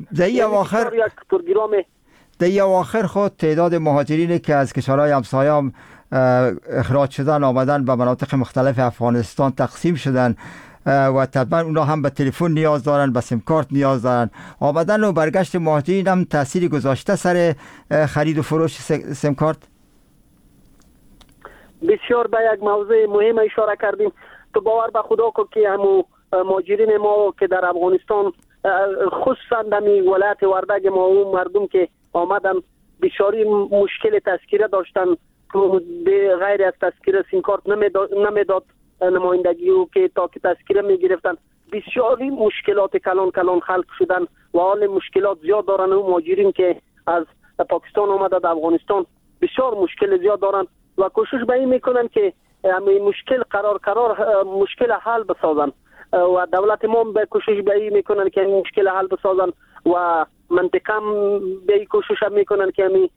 در اواخر خود تعداد مهاجرین که از کشورهای همسایه هم اخراج شدن آمدن به مناطق مختلف افغانستان تقسیم شدن و طبعا اونا هم به تلفن نیاز دارن، به سیم کارت نیاز دارن. آمدن و برگشت مهاجرین هم تأثیری گذاشته سر خرید و فروش سیم کارت؟ بسیار به یک موضوع مهم اشاره کردیم. تو باور به خدا کو که همو مهاجرین ما که در افغانستان خصوصا در ولایت وردک ما و مردم که آمدن بسیاری مشکل تذکره داشتن، به غیر از تذکره سیم کارت نمیداد نمایندگی و که تا که تذکره میگرفتن بسیاری مشکلات کلان کلان خلق شدن و حال مشکلات زیاد دارن. و مهاجرین که از پاکستان آمده در افغانستان بسیار مشکل زیاد دارن و کوشش به این میکنن که همین مشکل قرار قرار مشکل حل بسازن و دولت ما به کوشش به این میکنن که این مشکل حل بسازن و منطقه به این کوشش میکنن که همین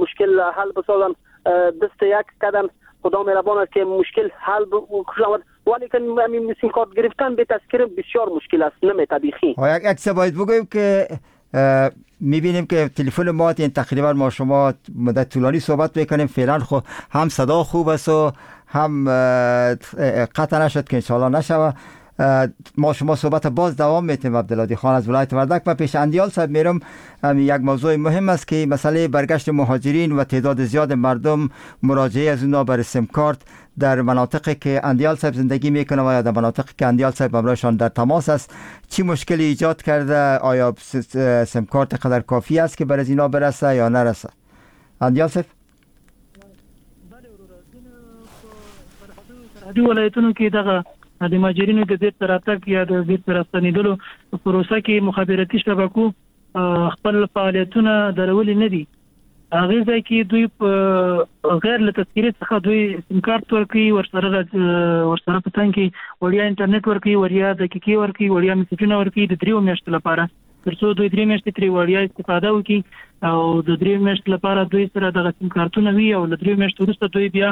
مشکل حل بسازن. دست یک کردن خدا مهربان است که مشکل حل شود، ولی که همین سیم کارت گرفتن به تذکره بسیار مشکل است، نمی طبیعی. یک چیز باید بگویم که میبینیم که تلفن ما این تقریبا ما شما مدت طولانی صحبت میکنیم، فعلا خب هم صدا خوب است و هم قطع نشد که انشالله نشوه. ما شما صحبت باز دوام میتیم. عبدالهادی خان از ولایت وردک و پیش اندیال صاحب میرم. یک موضوع مهم است که مسئله برگشت مهاجرین و تعداد زیاد مردم مراجعه از اونا بر سیم کارت در مناطقی که اندیال صاحب زندگی میکنه و یا در مناطقی که اندیال صاحب همراهشان در تماس است چی مشکلی ایجاد کرده؟ آیا سیم کارت قدر کافی است که بر از اینا برسه یا نرسه؟ اندیال صاحب. سرحدي ولایتونو کې دغه د مهاجرینو د بیرته راتګ یا د بیرته راستنېدلو پروسه کې مخابراتي شبکو خپل فعالیتونه درولي نه دي. هغې ځای کې دوی په غیر له تذکرې څخه دوی سیم کارت ورکوي، ورسره په څنګ کې وړیا انټرنیټ ورکوي، وړیا دقیقې ورکوي، وړیا مسیجونه ورکوي د 3 میاشتو لپاره، ترڅو دوی 3 میاشتې ترې وړیا استفاده وکړي او د 3 میاشتو لپاره دوی سره دغه سیم کارتونه وي او له 3 میاشتو وروسته دوی بیا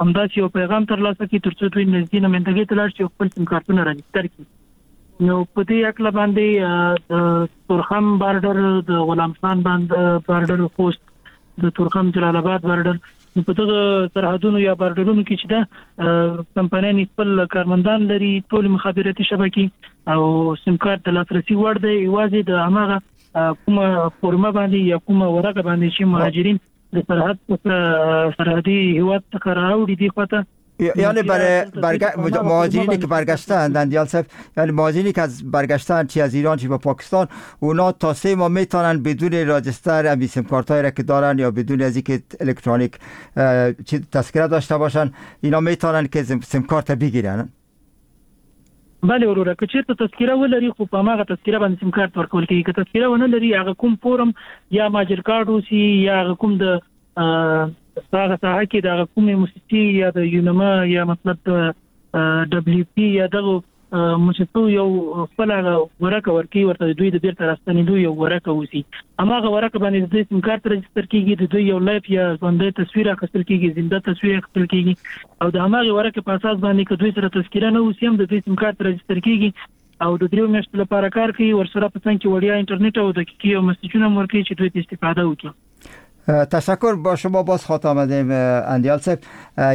همداسې یو پیغام ترلاسه کړي ترڅو دوی نږدې نمایندګۍ ته لاړ شي او خپل سیم کارتونه راجستر کړي. نو په دې هکله باندې د تورخم بارډر، د غلام خان بارډر، خوست، د تورخم جلال آباد بارډر، نو په دغه سرحدونو یا بارډرونو کې چې ده کمپنیانې خپل کارمندان لري، ټولې مخابراتي شبکې او سیم کارت د لاسرسي وړ دی. یوازې د هماغه کومه فورمه باندې یا کومه ورقه باندې چې مهاجرین د سرحد سرحدي هیواد څخه راوړي دي خواته، یعنی برای مهاجرینی که برگشتن اندیال صاحب، یعنی مهاجرینی که از برگشتن چی از ایران چی به پاکستان، اونا تا 3 ماه میتونن بدون راجستر امی سیم کارت هایی را که دارن یا بدون از اینکه الکترونیک تذکره داشته باشن، اینا میتونن که سیم کارت بگیرن. بله وروره، که چېرته تذکره ولري خو په هماغه تذکره باندې سیم کارت ورکول کېږي. که تذکره ونه لري هغه کوم فورم یا مهاجر کارت اوسي یا هغه کوم د هغه ساحه کې د هغه کومې موسسې یا د یونما یا مطلب د ډبلیو پی یا دغو موسسو یو خپل هغه ورقه ورکوي ورته، د دوی د بیرته راستنېدو یو ورقه اوسي، هماغه ورقه باندې د دوی سیم کارت رجستر کېږي، د دوی یو live یا ژوندی تصویر اخیستل کېږي، زنده تصویر اخیستل کېږي او د هماغې ورقې په اساس باندې که دوی سره تذکره نه اوسي هم د دوی سیم کارت رجستر کېږي او د 3 میاشتو لپاره کار کوي. ورسره په څنګ کې وړیا انټرنیټ او دقیقې او مسیجونه هم ورکوي چې دوی ته استفاده وکړي. تشکر. با شما باز خاطر آمدیم اندیال صاحب.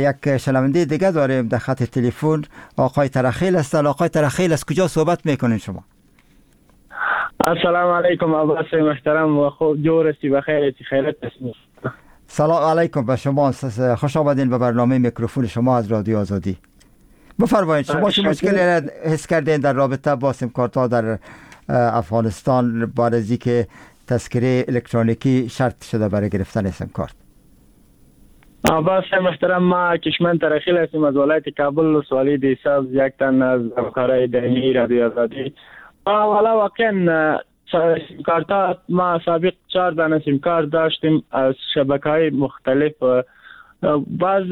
یک شنونده دیگه داریم در خط تلفن، آقای ترخیل هستند. آقای ترخیل از کجا صحبت میکنین شما؟ السلام علیکم عباس محترم و خوب جور هستی، بخیر هستی، خیرت هستی. سلام علیکم به شما، خوش آمدین به برنامه میکروفون شما از رادیو آزادی. بفرمایید شما چه مشکلی را حس کردین در رابطه با سیم کارت ها در افغانستان بعد از اینکه تذکره الکترونیکی شرط شده برای گرفتن سیم کارت؟ عباس محترم، ما کشمن ترخیل هستیم از ولایت کابل، سوالی دی سبز، یک تن از همکارای دائمی رادیو آزادی. والا واقعا سیم کارت ما سابق 4 دانه سیم کارت داشتیم از شبکه‌های مختلف. باز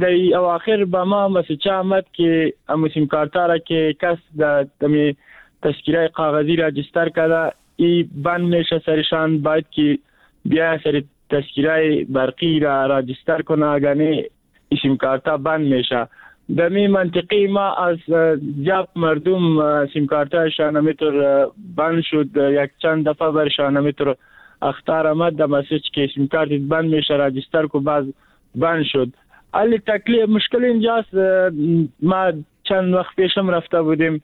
در اواخر به ما مسیج آمد که امو سیم کارت را که کس در تذکره کاغذی راجستر کرده ای بند میشه سرشان، باید که بیا سر تذکره برقی را راجستر کنه، اگر نه سیم کارت بند میشه. در می منطقه ما از جاب مردم سیم کارتشان همیتر بند شد، یک چند دفعه برشان همیتر اخطار آمد در مسیج که سیم کارت بند میشه راجستر کو، باز بند شد. ولی تکلیف مشکل اینجاست، ما چند وقت پیشم رفته بودیم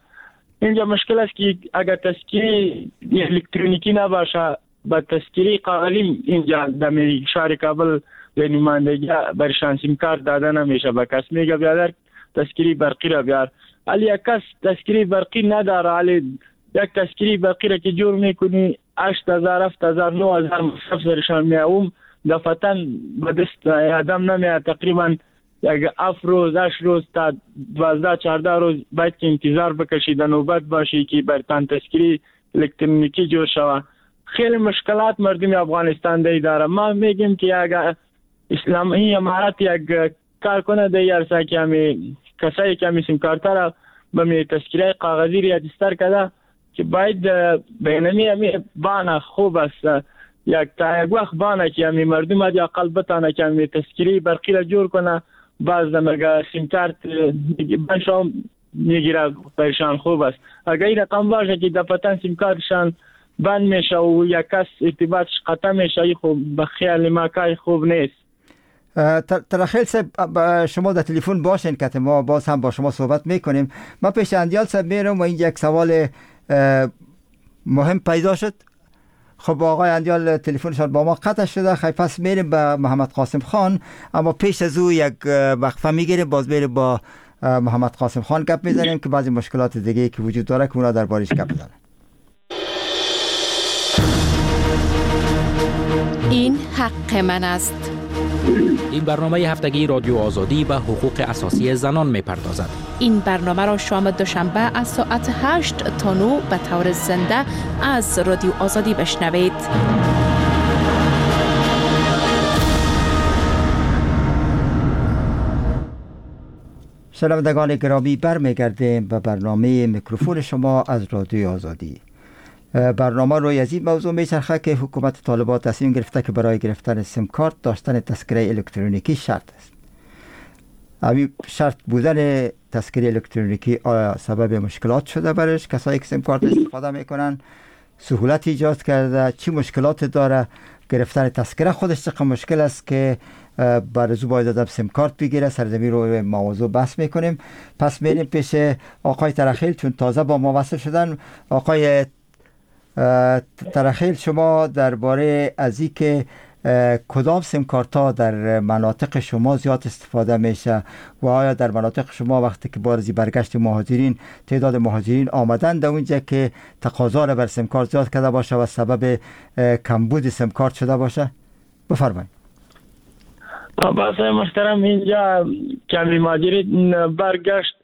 اینجا، مشکل است که اگر تذکره الکترونیکی نباشه با تذکره کاغذی اینجا در شهر کابل به نمایندگی برشان سیم کارت داده نمیشه. به کس میگه بیادر تذکره برقی را بیار، ولی یک کس تذکره برقی نداره. ولی یک تذکره برقی را که جور میکنی 8000 7000 9000 مصرف سرشان میاوم دفعتاً به دست آدم نمیاد. تقریبا یک 7 روز 8 روز تا 12 14 روز باید که انتظار بکشی، در نوبت باشی که برتان تذکره الکترونیکی جور شوه. خیلی مشکلات مردم افغانستان دی داره. ما میگیم که اگر اسلامی امارت یک کار کنه دی عرصه که همی کسایی که همی سیم کارت را به می تذکره کاغذی راجستر کرده که باید بینمی همی بانه خوب است، یک تا یک وقت بانه که همی مردم حداقل بتانه که همی تذکره برقی را جور کنه. باز دمگه سیم کارت بنشان میگیره پریشان خوب است. اگر این رقم باشه که دفعتاً سیم کارتشان بند میشه و یک کس ارتباطش قطع میشه، خوب به خیال ما کار خوب نیست. ترخیل صاحب، شما در تلفن باشین که ما باز هم با شما صحبت میکنیم. ما پیش اندیال صاحب میرم و اینجا یک سوال مهم پیدا شد. خب آقای اندیال تلفنشان با ما قطع شده. خیلی پس میریم به محمد قاسم خان، اما پیش از او یک وقفه میگیریم، باز میریم با محمد قاسم خان گپ میزنیم که بعضی مشکلات دیگه که وجود داره که اونا دربارش گپ بزنن. این حق من است. این برنامه هفتگی رادیو آزادی به حقوق اساسی زنان میپردازد. این برنامه را شام دوشنبه از ساعت 8 تا 9 به طور زنده از رادیو آزادی بشنوید. شنوندگان گرامی، برمیگردیم به برنامه میکروفون شما از رادیو آزادی. برنامه روی از این موضوع میچرخه که حکومت طالبان تصمیم گرفته که برای گرفتن سیم کارت داشتن تذکره الکترونیکی شرط است. همین شرط بودن تذکره الکترونیکی آیا سبب مشکلات شده برش کسایی که سیم کارت استفاده میکنن؟ سهولت ایجاد کرده؟ چی مشکلات داره؟ گرفتن تذکره خودش چقدر مشکل است که برزو باید آدم سیم کارت بگیره؟ سرزمین رو موضوع بحث میکنیم. پس میریم پیش آقای ترخیل چون تازه با ما وصل شدن. آقای ترخیل، شما درباره از این که کدام سیم کارت ها در مناطق شما زیاد استفاده میشه و آیا در مناطق شما وقتی که بارزی برگشت مهاجرین، تعداد مهاجرین آمدن در اونجا که تقاضا را بر سیم کارت زیاد کرده باشه و سبب کمبود سیم کارت شده باشه؟ بفرمایید. بس محترم، اینجا کمی مهاجرین برگشت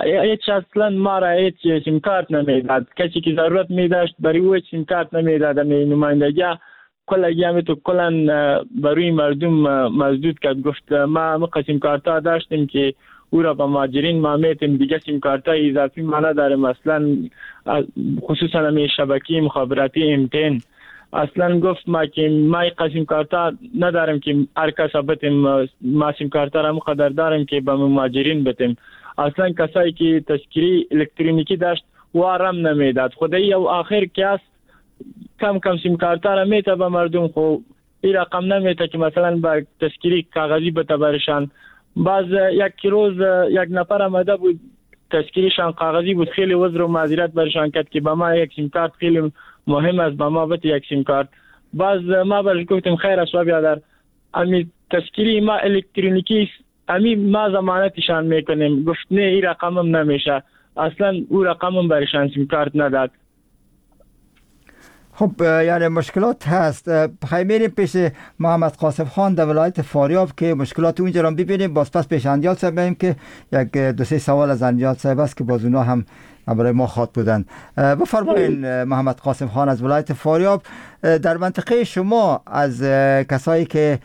هیچ اصلا ما را هیچ سیم کارت نمیداد. کسی که ضرورت می داشت برای او سیم کارت نمیداد. می نمایندگی کلا همی تو کلا برای مردم مزدود کرد. گفت ما سیم کارت ها داشتیم که او را به مهاجرین ما میتیم، دیگه سیم کارت های اضافی ما نداریم اصلا، خصوصا می شبکه مخابراتی MTN. اصلا گفت ما که ما قسم کارت نداریم که هر کس بتیم، ما سیم کارت را مقدر داریم که به مهاجرین بتیم. اصلا کسایی که تذکری الکترونیکی داشت وارم نمیداد. خدایی او آخر کس کم کم سیم کارت را میته به مردم، خو این رقم نمیته که مثلا با تذکری کاغذی بته برشان. باز یک روز یک نفر آمده بود تذکریشان کاغذی بود، خیلی عذر و معذرت برشان کرد که به ما یک سیم کارت خیلی مهم است، به ما بده یک سیم کارت. باز ما برش گفتیم خیر است بیادر، امی تذکری ما الکترونیکی امی ما ضمانتشان میکنیم. گفت نه این رقمم نمیشه، اصلا او رقمم برشان سیم کارت نداد. خب یعنی مشکلات هست. خیلی میریم پیش محمد قاسم خان در ولایت فاریاب که مشکلات اونجا رو ببینیم. باز پس پیش اندیال صاحب بریم که یک دو سه سوال از اندیال صاحب است که باز اونا هم برای ما خواد بودن. بفرمایین محمد قاسم خان از ولایت فاریاب، در منطقه شما از کسایی که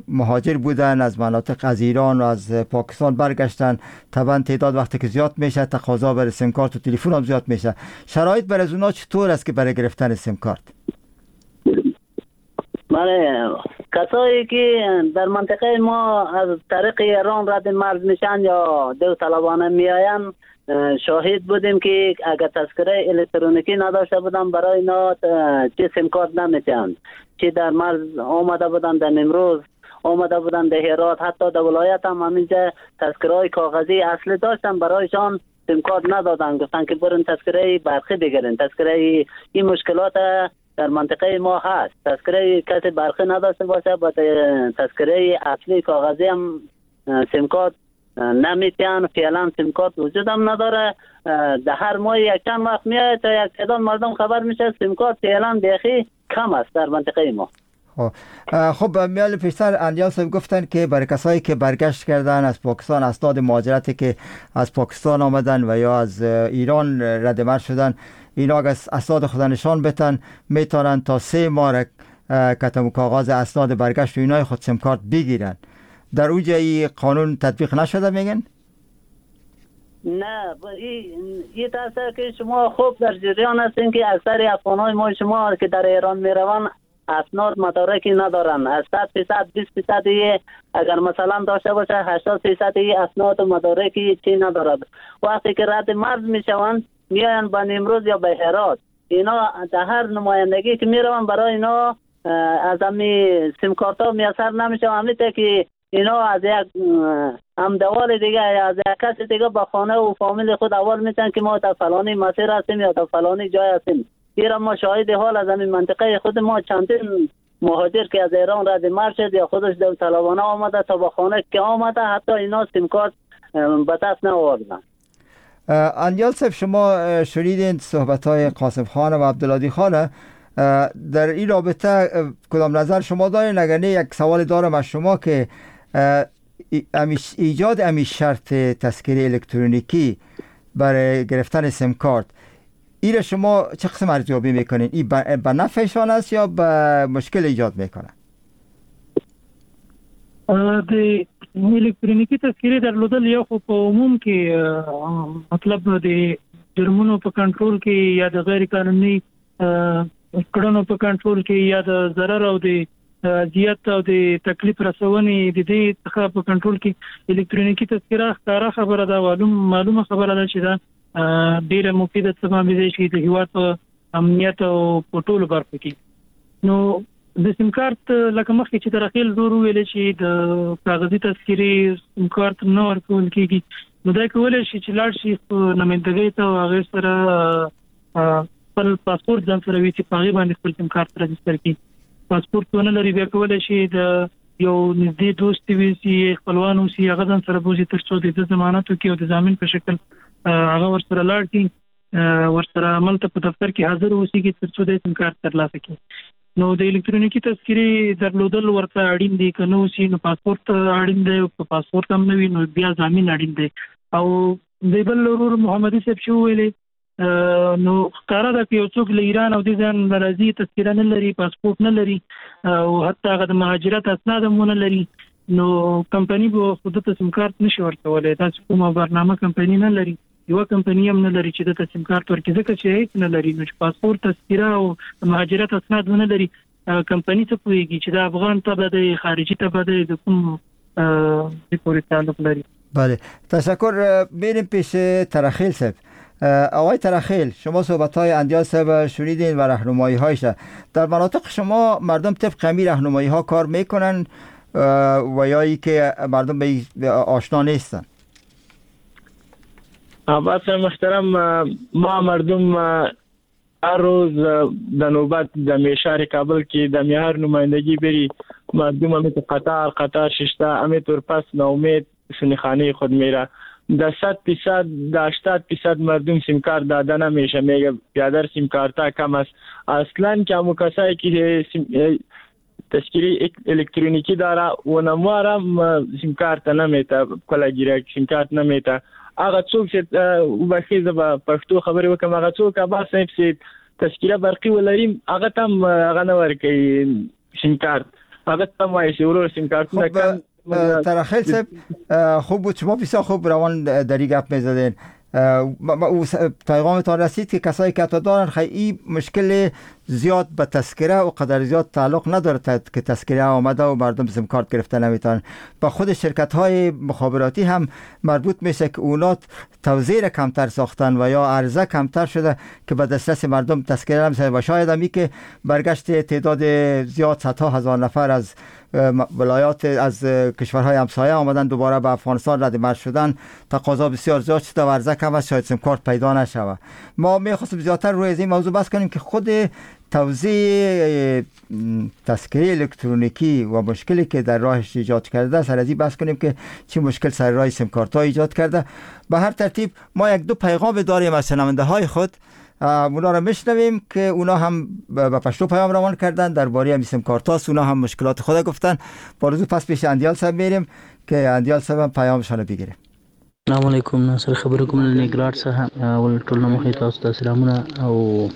مهاجر بودن از مناطق از ایران و از پاکستان برگشتن، طبعا تعداد وقتی که زیاد میشه تقاضا برای سیم کارت و تلفن هم زیاد میشه، شرایط برای از اونا چطور است که برای گرفتن سیم کارت؟ بله، کسایی که در منطقه ما از طریق ایران رد مرز میشن یا دو طلبانه میآیند، شاهد بودیم که اگر تذکره الکترونیکی نداشته بودن برای اینا چه سیم کارت نمیتن، چه در مرز آمده بودن، در امروز آمده بودن، در هرات، حتی در ولایت هم همینجا تذکره های کاغذی اصلی داشتن، برایشان سیم کارت ندادن، گفتن که برن تذکره برقی بگیرن. تذکره این مشکلات در منطقه ما هست. تذکره کسی برقی نداشته باشه با تذکره اصلی کاغذی هم سیم کارت نمیتن. فعلا سیم کارت وجود هم نداره. در هر ماه یک چند وقت میاد تا یک تعداد مردم خبر میشه سیم کارت فعلا بیخی کم است در منطقه ما. خب میال پیشتر اندیال صاحب گفتن که برای کسایی که برگشت کردن از پاکستان، اسناد مهاجرتی که از پاکستان آمدن و یا از ایران رد مرز شدن، اینا اگه اسناد خود نشان بتن میتونن تا 3 ماه کتم کاغذ اسناد برگشت و اینای خود سیم کارت بگیرن. در اونجا این قانون تطبیق نشده میگن؟ نه، این تاثیر که شما خوب در جریان هستین که اکثر افغانای ما شما که در ایران میروند اسناد مدارکی ندارن. از 100% 20% اگر مثلا داشته باشه 80% اسناد و مدارکی چی ندارد. وقتی که رد مرز میشوند میاین به نیمروز یا به هرات، اینا در هر نمایندگی که میروند برای اینا از همی سیم کارت ها میسر نمیشه. همی تا که اینا از یک همدوال دیگه از یک کس دیگه با خانه و فامیل خود اول میتن که ما تا فلانی مسیر هستیم یا تا فلانی جای هستیم. ایران ما شاهد حال از همین منطقه خود ما چندین مهاجر که از ایران رد مرز شد یا خودش داوطلبانه آمده تا با خانه که آمده، حتی اینا سیم کارت به دست نآوردن. اندیال صاحب، شما شنیدین صحبت های قاسم خان و عبدالهادی خان، در این رابطه کدام نظر شما دارین؟ اگر نه یک سوال دارم از شما که ایجاد امی شرط تذکره الکترونیکی برای گرفتن سیم کارت، این شما چه قسم ارزیابی میکنین؟ این به نفعشان است یا به مشکل ایجاد میکنه؟ د الکترونیکی تذکرې درلودل یو خو په عموم کې مطلب د جرمونو په کنټرول کې یا د غیر قانوني کړنو په کنټرول کې یا د ضرر او د اذیت او د تکلیف رسونې د دې څخه په کنټرول کې الکترونیکی تذکره ښکاره خبره ده، معلومه خبره ده چې دا ډیره مفیده تمامېدای شي د هیواد په امنیت او په ټولو برخو کې. نو د سیم کارت لکه مخکې چې ترخیل زور ویل چې د کاغذي تذکرې سیم کارت نه ورکول کېږي، نو دا کولی شي چې لاړ شي نمایندګۍ ته او هغې سره خپل پاسپورت ځان سره وي چې په هغې باندې خپل سیم کارت راجستر کړي. پاسپورت ونه لري بیا کولی شي د یو نږدې دوست وي، خپلوان اوسي، هغه ځان سره بوځي تر څو د ده ضمانت وکړي او د ضامن په شکل هغه ورسره لاړ شي، ورسره عملته په دفتر کې حاضر اوسېږي تر څو د سیم کارت ترلاسه کړي. نو د الکترونیکی تذکرې درلودل ورته اړین دي، که نه اوسي نو پاسپورت اړین دی، که پاسپورت هم نه وي نو بیا ضامن اړین دی. او د بل ورور محمدي صاحب چې وویلې نو ښکاره ده که یو څوک له ایران او دې ځای نه راځي، تذکره نه لري، پاسپورت نه لري او حتی هغه د مهاجرت اسناد هم ونه لري، نو کمپنی به خو ده ته سیم کارت نشي ورکولی. داسې کومه برنامه کمپنی نه لري، یوه کمپنی هم نه لري چې ده ته سیم کارت ورکړي، ځکه چې هیڅ نه لري. نو چې پاسپورت، تذکره او مهاجرت اسناد ونه لري، کمپنی څه پوهېږي چې دا افغان تبع دی، خارجي تبع دی، د کوم دې پورې تعلق لري. بله، تشکر. بریم پیش ترخیل صاحب. آقای ترخیل، شما صحبت های اندیال صاحب شنیدین و راهنمایی هایش. در مناطق شما مردم طبق همین راهنمایی ها کار میکنن و یا ای که مردم به آشنا نیستن؟ عباس محترم، ما مردم هر روز د نوبت د میشار کابل کې د میهر نمایندگی بری، مردم همی تو قطار قطار ششته، همی طور پس ناامید سنخانه خود میره. د 100% د 80% مردم سیم کارت داده نمیشه، میگه بیادر سیم کارت کم است. اصلا که همو کسایی که تذکره الکترونیکی داره و نموارم سیم کارت نمیته، کله ګیره سیم کارت نمیته. هغه څوک چې وبخښئ زه به پښتو خبرې وکړم، هغه څوک عباس صاحب چې تذکره برقي ولري هغه ته هم هغه نه ورکوي سیم کارت، هغه ته هم وایي چې ورور سیم کارتونه کم. ترخیل صاحب، خوب بود، شما بسیار خوب روان دری گپ میزدین. پیغامتان رسید که کسایی که حتی دارن خیلی مشکل زیاد به تذکره و قدر زیاد تعلق نداره که تذکره آمده و مردم سیم کارت گرفته نمیتونن. با خود شرکت های مخابراتی هم مربوط میشه که اونا توزیع کمتر ساختن و یا عرضه کمتر شده که به دسترس مردم تذکره نمیشه و شاید همی که برگشت تعداد زیاد صدها هزار نفر از ولایات از کشورهای همسایه آمدن دوباره به افغانستان رد مرز شدن، تقاضا بسیار زیاد شده و عرضه کم است، شاید سیم کارت پیدا نشود. ما میخواستیم زیادتر روی از این موضوع بحث کنیم که خود توزیع تذکره الکترونیکی و مشکلی که در راهش ایجاد کرده، سر از این بحث کنیم که چه مشکل سر راه سیم کارت ها ایجاد کرده. به هر ترتیب ما یک دو پیغام داریم از شنونده های خود، اونا را میشنویم که اونا هم به پشتو پیام روان کردن درباره همین سیم کارت هاست، اونا هم مشکلات خود گفتن. با رزو پس پیش اندیال صاحب میریم که اندیال صاحب هم پیامشان رو بگیریم. السلام علیکم، ناصر خبرې کوم له ننګرهار څخه. اول ټول نه مخې تاسو ته سلامونه او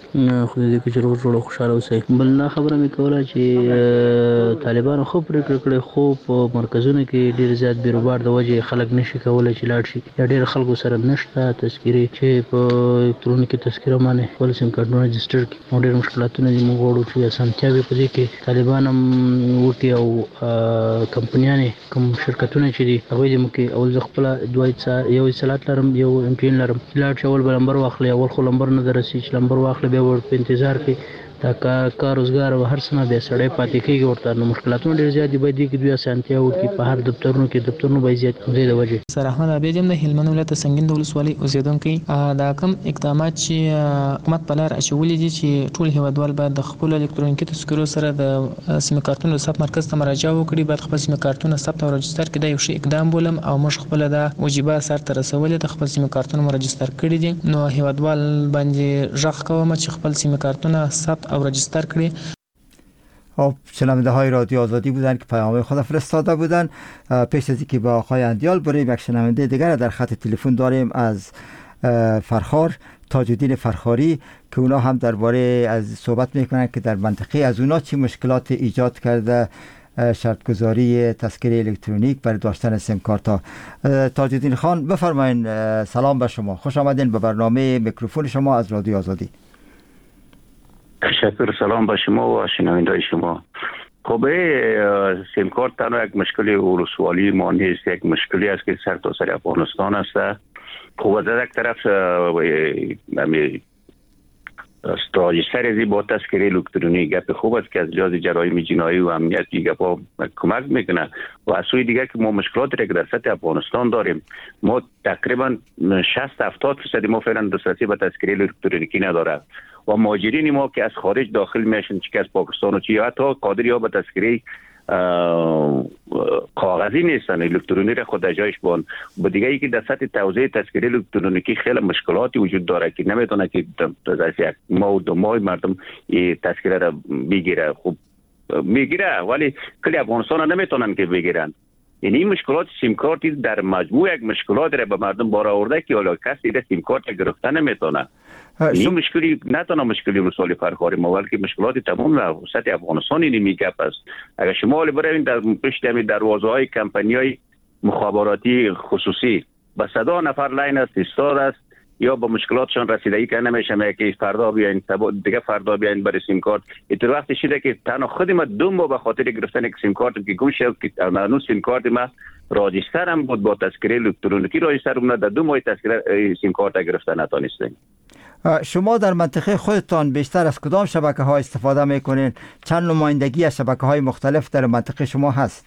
خدای دې چې روغ جوړ او خوشحاله اوسئ. بل دا خبره مې کوله چې طالبانو ښه پرېکړه کړې، خو په مرکزونو کې ډېر زیات بیروبار د وجې خلک نشي کولی چې لاړ شي، یا ډېر خلکو سره نشته تذکرې چې په الکترونیکي تذکره باندې خپل سیم کارتونه رجسټر کړي. او ډېر مشکلاتونه دي. موږ غواړو چې اسانتیاوې په دې کې طالبان هم وکړي او کمپنیانې کوم شرکتونه چې دي هغوی دې وکړي. اول زه خپله دوه یو اتصالات لرم، یو ام ټي ان لرم، لاړ شي اول به لمبر واخلي، اول خو لمبر نه درسي، چې لمبر واخلي بیا ور په انتظار کې دا کار روزګار او هر څه نه بیا سړی پاتې کېږي ورته. نو مشکلاتونه ډېر زیات دي، باید دې کې دوی اسانتیا وکړي. په هر دفترونو کې دفترونه باید زیات دې د وجې. سر احمد عابد یم، د هلمند ولایت د سنګین د ولسوالۍ اوسېدونکی. دا کوم اقدامات چې حکومت په لار اچولي دي چې ټول هېوادوال باید د خپلو الکترونیکي تذکرو سره د سیم کارتونو د ثبت مرکز ته مراجعه وکړي، باید خپل سیم کارتونه ثبت او راجستر کړي، دا یو ښه اقدام بولم او موږ خپله دا وجیبه سر ته رسولې ده، خپل سیم کارتونه مو راجستر کړي دي. نو هېوادوال باندې غږ کوم چې خپل سیم کارتونه ثبت او راجستر کړي. خب، شنونده های رادیو آزادی بودن که پیام خود فرستاده بودن. پیش از اینکه با آقای اندیال بریم، یک شنونده دیگر در خط تلفن داریم از فرخار، تاج الدین فرخاری، که اونا هم درباره از صحبت میکنن که در منطقه از اونا چی مشکلات ایجاد کرده شرطگذاری تذکره الکترونیک برای داشتن سیم کارت ها. تاج الدین خان، بفرمایین. سلام به شما، خوش آمدین به برنامه میکروفون شما از رادیو آزادی. تشکر، سلام به شما و شنونده شما. خب، سیم کارت تنها یک مشکل ولسوالی ما نیست، یک مشکلی است که سر تا سر افغانستان است. خب، از یک طرف راجستر ازی با تذکره الکترونی گپ خوب است که از لحاظ جرایم جنایی و امنیتی گپ کمک میکنه و از سوی دیگه که ما مشکلات را که در سطح افغانستان داریم، ما تقریبا 60 70% ما فعلا دسترسی به تذکره الکترونیکی نداره و مهاجرین ما که از خارج داخل میشن، چه که از پاکستان و چه، حتی قادر یا به تذکره کاغذی نیستن، الکترونی را خود جایش بان. با دیگه ای که در سطح توزیع تذکره الکترونیکی خیلی مشکلاتی وجود داره که نمیتونه که در یک ماه و 2 ماه مردم این تذکره را بگیره. خب میگیره ولی کلی افغانستان نمیتونن که بگیرن. یعنی این مشکلات سیم کارت در مجموع یک مشکلات را به مردم بار آورده که حالا کسی در سیم کارت گرفته نمیتونه. این مشکلی نه تنها مشکلی ولسوالی فرخاری ما، بلکه مشکلات تمام سطح افغانستان این گپ است. اگر شما حالا بروین در پشت همین دروازه های کمپانی های مخابراتی خصوصی، به صدا نفر line است، ایستاد است یا با مشکلاتشان رسیدگی که نمیشه که فردا بیاین، دیگه فردا بیاین برای سیم کارت. اینطور وقتی شده که تنها خود ما 2 ماه به خاطر گرفتن یک سیم کارت که گم شد که هنوز سیم کارت ما راجستر هم بود، با تذکره الکترونیکی راجستر بود، در 2 ماه تذکره سیم کارت گرفتن نتانستیم. شما در منطقه خودتان بیشتر از کدام شبکه ها استفاده میکنین؟ چند نمایندگی از شبکه های مختلف در منطقه شما هست؟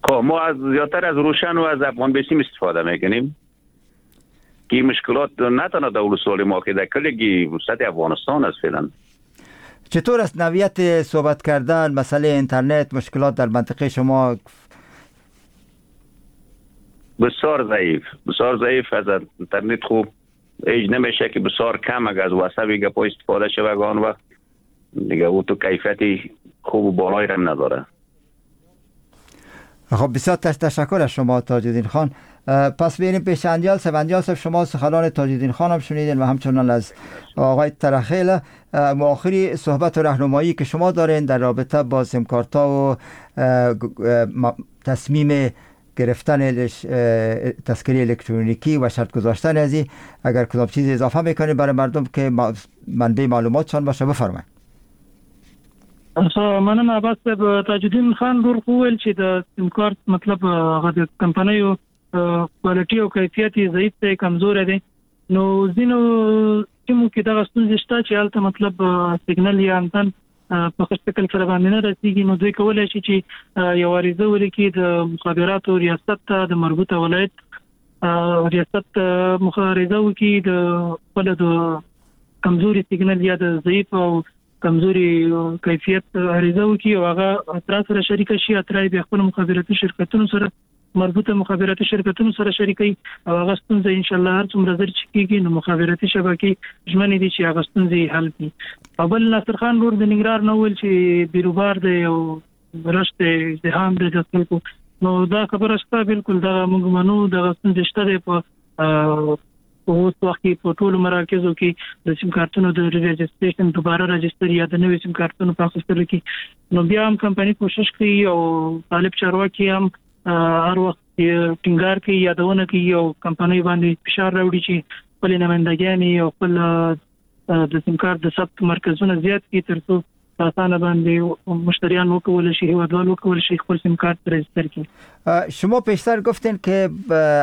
خب، ما از زیادتر از روشن و از افغان بیسیم استفاده میکنیم که مشکلات نه تنها در ولسوالی ما که در کلگی سطح افغانستان است فعلا. چطور است نوعیت صحبت کردن، مسئله اینترنت، مشکلات در منطقه شما؟ بسیار ضعیف، بسیار ضعیف. از اینترنت خوب ایج نمیشه که بسیار کم اگر از واتساپ گپا استفاده شود، آن وقت دیگه او تو کیفیتی خوب و بالایی هم نداره. خب، بسیار تشکر از شما تاج الدین خان. پس بریم پیش اندیال صاحب. اندیال صاحب، شما سخنان تاج الدین خان هم شنیدین و همچنان از آقای ترخیل. آخری صحبت و راهنمایی که شما دارین در رابطه با سیم کارتا و تصمیم گرفتن تذکره الکترونیکی و شرط گذاشتن از اگر کدام چیز اضافه میکنید برای مردم که منبع معلوماتشان باشه، بفرمایید. مننه عباس صاحب. تاج الدین خان ورور خو ویل چې د سیم کارت مطلب هغه د کمپنیو quality او کیفیت یې ضعیف دی، کمزوری دی. نو ځینو سیمو کې دغه ستونزې شته چې هلته مطلب سیګنل یا انتن په ښه شکل سره باندې نه رسیږي. نو دوی کولای شي چې یو عریضه ولیکي د مخابراتو ریاست ته، د مربوطه ولایت ریاست عریضه وکړي، د خپل د کمزوري سیګنل یا د ضعیف او کمزوري کیفیت عریضه وکړي او هغه اترا سره شریک شي. اترا یې بیا خپل مخابراتي شرکتونو سره، مربوطه مخابراتي شرکتونو سره شریکوي او هغه ستونزه ان شاء الله هر څومره زر چې کیږي، نو مخابراتي شبکې ژمنې دي چې هغه ستونزې حل کړي. او بل ناصر خان ورور د ننګرهار نه ویل چې بیروبار دی او رش دی، ازدحام دی د خلکو. نو دا خبره شته، بالکل دا موږ منو، دغه ستونزې شته دی. په اوس وخت کې په ټولو مراکزو کې د سیم کارتونو د registration، دوباره راجستر یا د نوي سیم کارتونو په اخیستلو کې. نو بیا هم کمپنی کوشش کوي او طالب چارواکي هم هر وخت ټینګار کوي، یادونه کوي او کمپنۍ باندې فشار راوړي چې خپل نمایندګانې او خپل د سیم کارت د ثبت مرکزونه زیات کړي ترڅو اسانه باندې مشتریان وکول شي، هیوادوال وکول شي خپل سیم کارت راجستر کړي. شما پیشتر گفتین که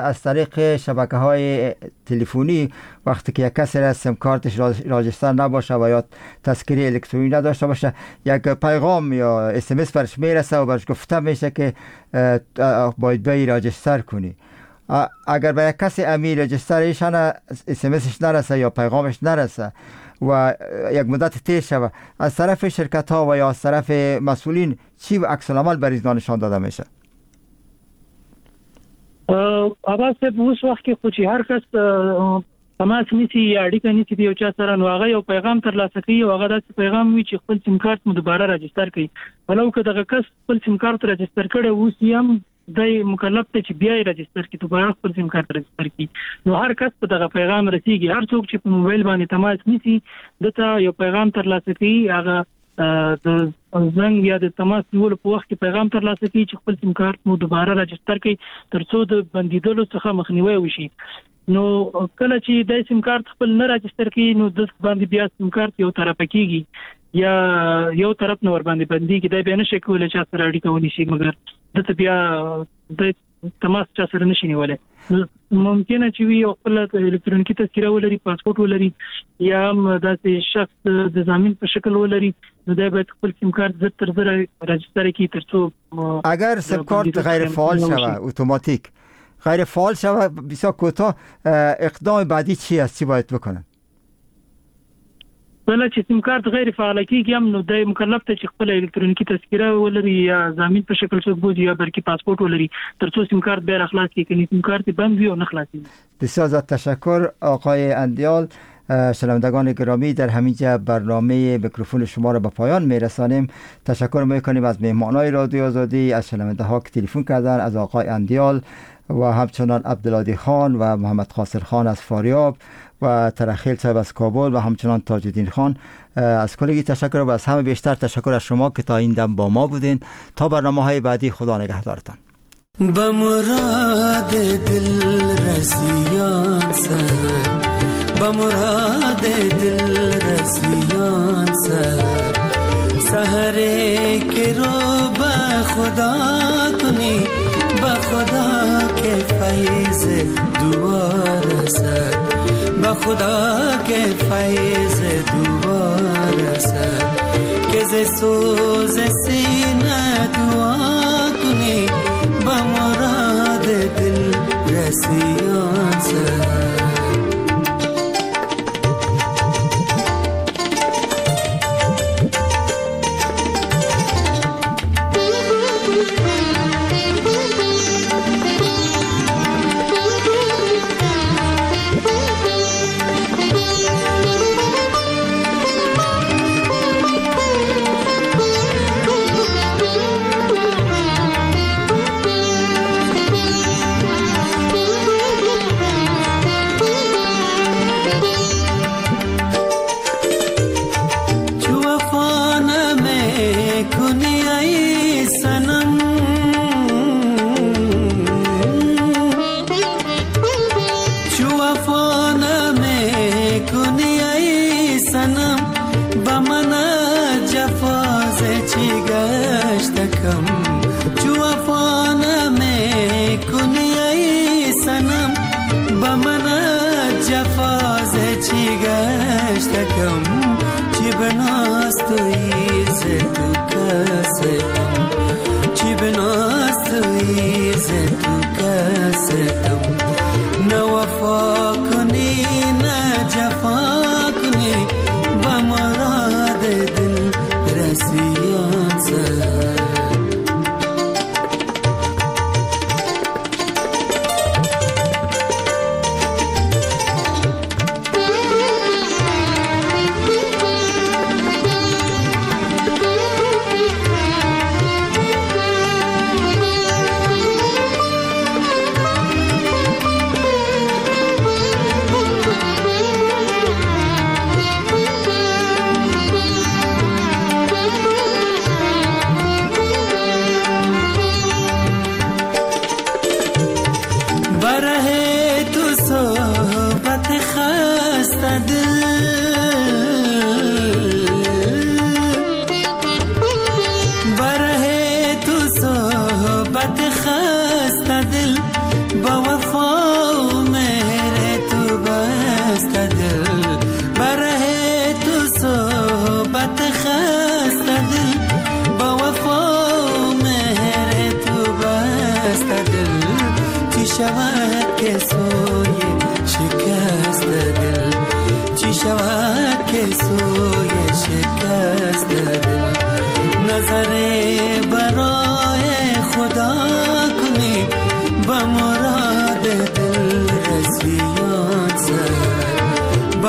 از طریق شبکه های تلفنی وقتی که یک کسی را سیم کارتش راجستر نباشه و یا تذکره الکترونی نداشته باشه، یک پیغام یا اس ام اس برش میرسه و برش گفته میشه که باید بیای راجستر کنی. اگر به یک کسی امی رجسترش اس ام اسش نرسه یا پیغامش نرسه و یک مدت تیر شوه، از طرف شرکت ها و یا از طرف مسئولین چی عکس العمل بر اینا نشان داده میشه؟ عباس صاحب، اوس وخت کې خو چې هر کس تماس نیسي یا اړیکه نیسي د یو چا سره، نو هغه یو پیغام ترلاسه کوي او هغه داسې پیغام وي چې خپل سیم کارت مو دوباره راجستر کړئ. ولو که دغه کس خپل سیم کارت راجستر کړی اوس یې هم دی مکلف دی چې بیا یې راجستر کړي، دوباره خپل سیم کارت راجستر کړي. نو هر کس په دغه پیغام رسیږي. هر څوک چې په موبایل باندې تماس نیسي ده ته یو پیغام ترلاسه کوي، هغه د زنګ یا د تماس نیولو په وخت کې پیغام ترلاسه کوي چې خپل سیم کارت مو دوباره راجستر کړئ ترڅو د بندیدلو څخه مخنیوی وشي. نو کله چې د سیم کارت خپل نه راجستر کوي نو د باندې بیا سیم کارت یو طرفه کیږي یا یو طرف نه ور باندې بندیږي، دی بیا نشي کولی چا سره اړیکه ونیسي، مګر ده ته بیا د تماس چا سره نشي نیولی. ممکنه چې وي یو خپله الکترونیکي تذکره ولري، پاسپورت ولري، یا هم داسې شخص د ضامن په شکل ولري، نو دی باید خپل سیم کارت زر تر زره راجستر کړي ترڅو اگر سیم کارت غیر فعال شوه، اتوماتیک غیر فعال شوه، بسیار کوتاه اقدام بعدی چی است؟ چی باید بکنن؟ کله چې سیم کارت غیر فعال کیږي هم نو دی مکلف دی چې خپله الکترونیکي تذکره ولري یا ضامن په شکل څوک بوځي یا برقي پاسپورت ولري ترڅو سیم کارت بیا راخلاص کړي، کني سیم کارت بند وي او نه خلاصیږي. بسیار زیاد تشکر آقای اندیال. شنوندگان گرامی، در همینجا برنامه میکروفون شما را به پایان میرسانیم. تشکر میکنیم از مهمانای رادیو آزادی، از شنونده ها که تلفن کردن، از آقای اندیال و همچنان عبدالهادی خان و محمد قاصر خان از فاریاب و ترخیل صاحب از کابل و همچنان تاج الدین خان. از کلگی تشکر و از همه بیشتر تشکر از شما که تا این دم با ما بودین. تا برنامه های بعدی خدا نگهدارتان. به مراد دل رسیان سر، به مراد دل رسیان سر، سحر که رو به خدا کنی، به خدا که فیض دعا رسد، به خدا که فیض دعا رسد، که ز سوز سینه دعا کنی، به مراد دل رسیان سر.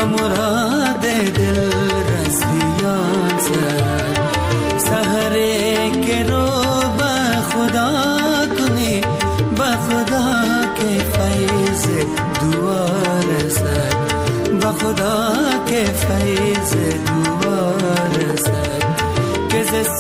به مراد دل رسیان سر. سحر که رو به خدا کنی، به خدا که فیض دعا رسد، به خدا که فیض دعا رسد. که ز